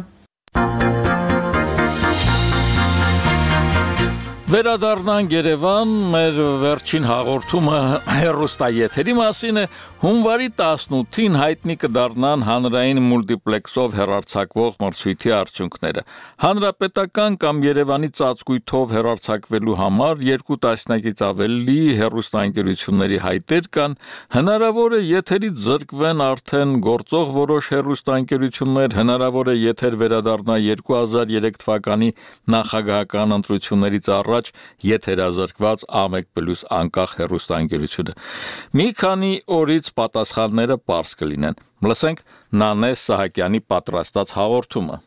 Վերադառնանք Երևան, մեր վերջին հաղորդումը հեռուստաեթերի մասին է։ Հունվարի 18-ին հայտնի կդառնան հանրային մուլտիպլեքսով հեռարձակվող մրցույթի արդյունքները։ Հանրապետական կամ Երևանի ծածկույթով հեռարձակվելու համար 2 տասնյակից ավելի հեռուստաընկերությունների հայտեր կան։ Հնարավոր է եթերից զրկվեն արդեն գործող որոշ հեռուստաընկերություններ, հնարավոր է եթեր վերադառնա 2003 թվականի նախագահական ընտրություններից առաջ եթերազրկված A1+ անկախ հեռուստաընկերությունը։ Մի քանի օրից պատասխանները պարզ կլինեն։ Լսենք Նանե Սահակյանի պատրաստած հաղորդումը։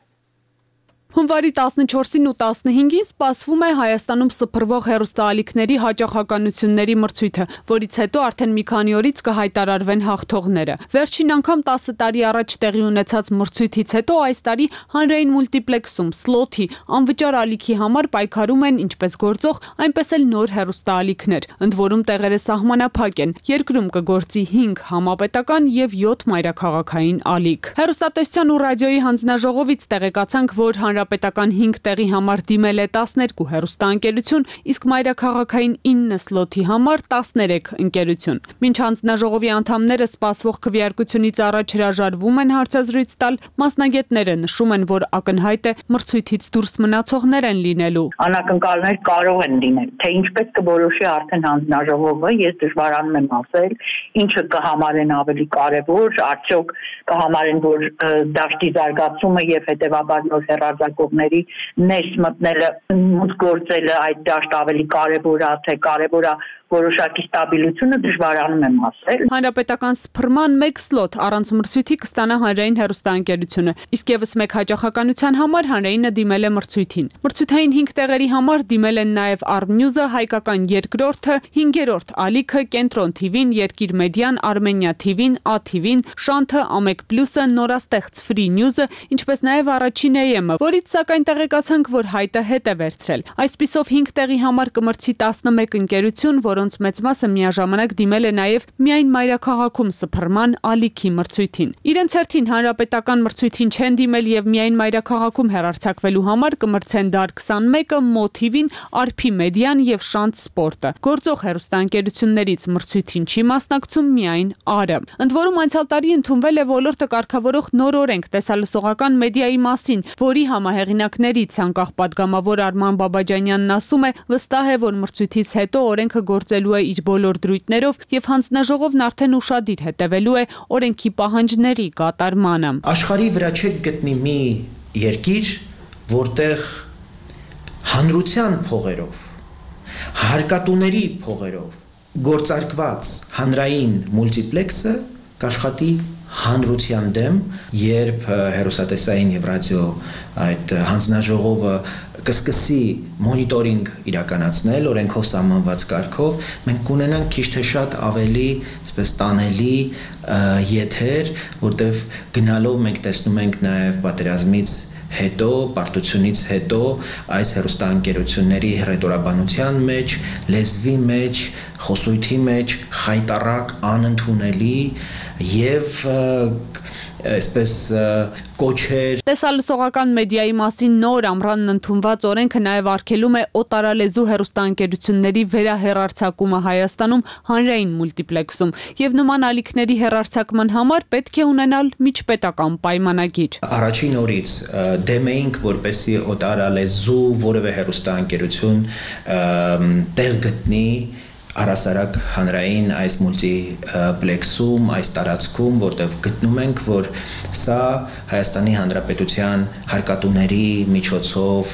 Հունվարի 14-ին ու 15-ին սպասվում է Հայաստանում սփռվող հեռուստաալիքների հաճախականությունների մրցույթը, որից հետո արդեն մի քանի օրից կհայտարարվեն հաղթողները։ Վերջին անգամ 10 տարի առաջ տեղի ունեցած մրցույթից հետո այս տարի հանրային մուլտիպլեքսում սլոթի անվճար ալիքի համար պայքարում են ինչպես գործող, այնպես էլ նոր հեռուստաալիքներ, ընդ որում տեղերը սահմանափակ են։ Երկրում կգործի 5 համապետական եւ 7 մայրաքաղաքային ալիք։ Հեռուստատեսության ու ռադիոյի հանձնաժողովից տեղեկացանք, որ Հանրապետական 5 տեղի համար դիմել է 12 հեռուստաընկերություն, իսկ մայրաքաղաքային 9 սլոթի համար 13 ընկերություն։ Մինչ հանձնաժողովի անդամները սպասվող քվեարկությունից առաջ հրաժարվում են հարցազրույց տալ, մասնագետները նշում են, որ ակնհայտ է մրցույթից դուրս մնացողներ են լինելու։ Անակնկալներ կարող են լինել, թե ինչպես կորոշի արդեն հանձնաժողովը, ես դժվարանում եմ ասել, ինչը կհամարեն ավելի կարևոր, արդյոք կհամարեն, որ դաշտի զարգացումը եւ հետեւաբար նոր հեռարձակողների ներս մտնելը, մուտք գործելը այդ դաշտ ավելի կարևոր է, թե կարևոր է որոշակի ստաբիլությունը, դժվարանում եմ ասել։ Հանրապետական սփռման 1 սլոթ առանց մրցույթի կստանա հանրային հեռուստաընկերությունը, իսկ եւս 1 հաճախականության համար հանրայինը դիմել է մրցույթին։ Մրցութային 5 տեղերի համար դիմել են նաեւ Armnews-ը, Հայկական երկրորդը, 5-րդ ալիքը, Կենտրոն TV-ն, Երկիր մեդիան, Armenia TV-ն, ATV-ն, Շանթը, A1+-ը, նորաստեղծ Free News-ը, ինչպես նաեւ առաջին AM-ը, որից սակայն տեղեկացանք, որ հայտը հետ է վերցրել։ Այսպիսով 5 տեղի համար կմրցի 11 ընկերություն, որոնց մեծ մասը միաժամանակ դիմել է նաև միայն մայրաքաղաքում սփռման ալիքի մրցույթին։ Իրենց հերթին հանրապետական մրցույթին չեն դիմել եւ միայն մայրաքաղաքում հեռարձակվելու համար կմրցեն Դար 21-ը, MoTV-ն, Արփի մեդիան եւ Շանթ Սպորտը։ Գործող հեռուստաընկերություններից մրցույթին չի մասնակցում միայն ԱՐ-ը։ Ընդ որում անցյալ տարի ընդունվել է ոլորտը կարգավորող նոր օրենք տեսալսողական մեդիայի մասին, որի համահեղինակներից անկախ падգամավոր Արման Բաբաջանյանն ասում է, վստահ է, որ մրցույթից հետո օրենքը գործելու է իր բոլոր դրույթներով եւ հանձնաժողովն արդեն ուշադիր հետևելու է օրենքի պահանջների կատարմանը։ Աշխարհի վրա չեք գտնի մի երկիր, որտեղ հանրության փողերով, հարկատուների փողերով գործարկված հանրային մուլտիպլեքսը կաշխատի հանրության դեմ, երբ հեռուստատեսային եւ ռադիո այդ հանձնաժողովը կսկսի մոնիտորինգ իրականացնել օրենքով սահմանված կարգով, մենք կունենանք քիչ թե շատ ավելի, այսպես տանելի եթեր, որտեղ գնալով մենք տեսնում ենք նաեւ պատերազմից հետո, պարտությունից հետո այս հեռուստաընկերությունների հռետորաբանության մեջ, լեզվի մեջ, խոսույթի մեջ խայտառակ, անընդունելի եւ այսպես կոչեր։ Տեսալսողական մեդիայի մասին նոր ամռանն ընդունված օրենքը նաև արգելում է օտարալեզու հեռուստաընկերությունների վերահեռարձակումը Հայաստանում հանրային մուլտիպլեքսում եւ նման ալիքների հեռարձակման համար պետք է ունենալ միջպետական պայմանագիր։ Առաջին օրից դեմ էինք, որպեսզի օտարալեզու որևէ հեռուստաընկերություն տեղ գտնի առասարակ հանրային այս մուլտիպլեքսում, այս տարածքում, որտեղ գտնում ենք, որ սա Հայաստանի Հանրապետության հարկատուների միջոցով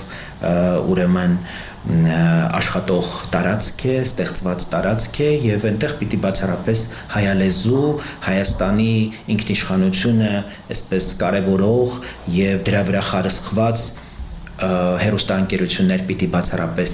ուրեմն աշխատող տարածք է, ստեղծված տարածք է եւ այնտեղ պիտի բացառապես հայալեզու, Հայաստանի ինքնիշխանությունը այսպես կարևորող եւ դրա վրա խարսխված հեռուստաընկերություններ պիտի բացառապես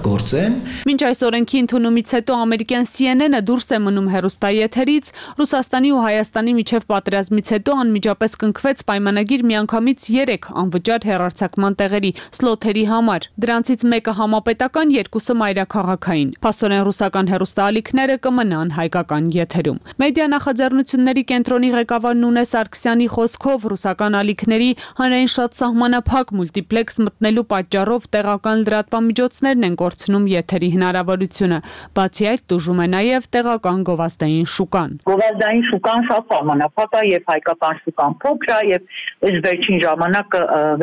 գործեն։ Մինչ այս օրենքի ընդունումից հետո ամերիկյան CNN-ը դուրս է մնում հեռուստաեթերից, Ռուսաստանի ու Հայաստանի միջև պատերազմից հետո անմիջապես կնքվեց պայմանագիր միանգամից 3 անվճար հեռարձակման տեղերի սլոթերի համար։ Դրանցից մեկը համապետական, 2-ը մայրաքաղաքային։ Փաստորեն ռուսական հեռուստաալիքները կմնան հայկական եթերում։ Մեդիա նախաձեռնությունների կենտրոնի ղեկավար Նունե Սարգսյանի խոսքով ռուսական ալիքների հանրային շատ սահմանափակ մուլտիպլեքս մտնելու պատճառով տեղական լրատվամիջոցներն են կորցնում եթերի հնարավորությունը։ Բացի այդ, տուժում է նաև տեղական գովազդային շուկան։ Գովազդային շուկան շատ սահմանափակ է եւ հայկական շուկան փոքր է եւ այս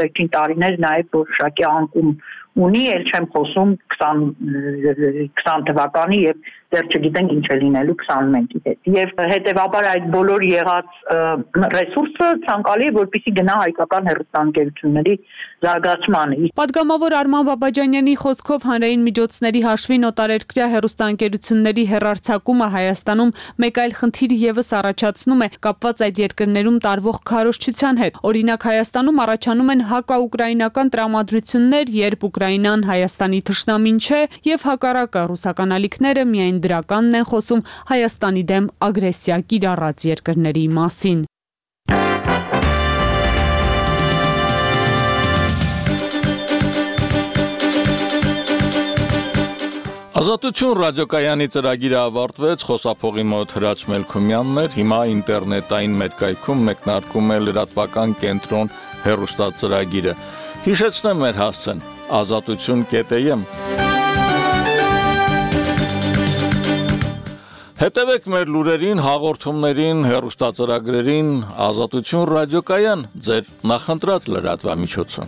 վերջին տարիներ նաև որոշակի անկում ունի, էլ չեմ խոսում 20 թվականի եւ դեռ չգիտենք ինչ է լինելու 21-ի հետ։ Եվ հետեւաբար այդ բոլոր եղած ռեսուրսը ցանկալի է, որպեսզի գնա հայկական հեռուստաընկերությունների զարգացմանը։ Պատգամավոր Արման Բաբաջանյանի խոսքով հանրային միջոցների հաշվին օտարերկրյա հեռուստաընկերությունների հեռարձակումը Հայաստանում մեկ այլ խնդիր եւս առաջացնում է կապված այդ երկրներում տարվող քարոզչության հետ։ Օրինակ Հայաստանում առաջանում են հակաուկրաինական տրամադրություններ, երբ Ուկրաինան Հայաստանի թշնամին չէ, եւ հակառակը ռուսական ալիքները միայն դրականն են խոսում Հայաստանի դեմ ագրեսիա կիրառած երկրների մասին։ Ազատություն ռադիոկայանի ծրագիրը ավարտվեց, խոսափողի մոտ Հրաչ Մելքումյանն էր, հիմա ինտերնետային մեդկայքում մեկնարկում է լրատվական կենտրոն հեռուստածրագիրը։ Հիշեցնեմ մեր հասցեն azatutun.am Հետևեք մեր լուրերին, հաղորդումներին, հեռուստածրագրերին, Ազատություն ռադիոկայան, ձեր նախընտրած լրատվամիջոցը։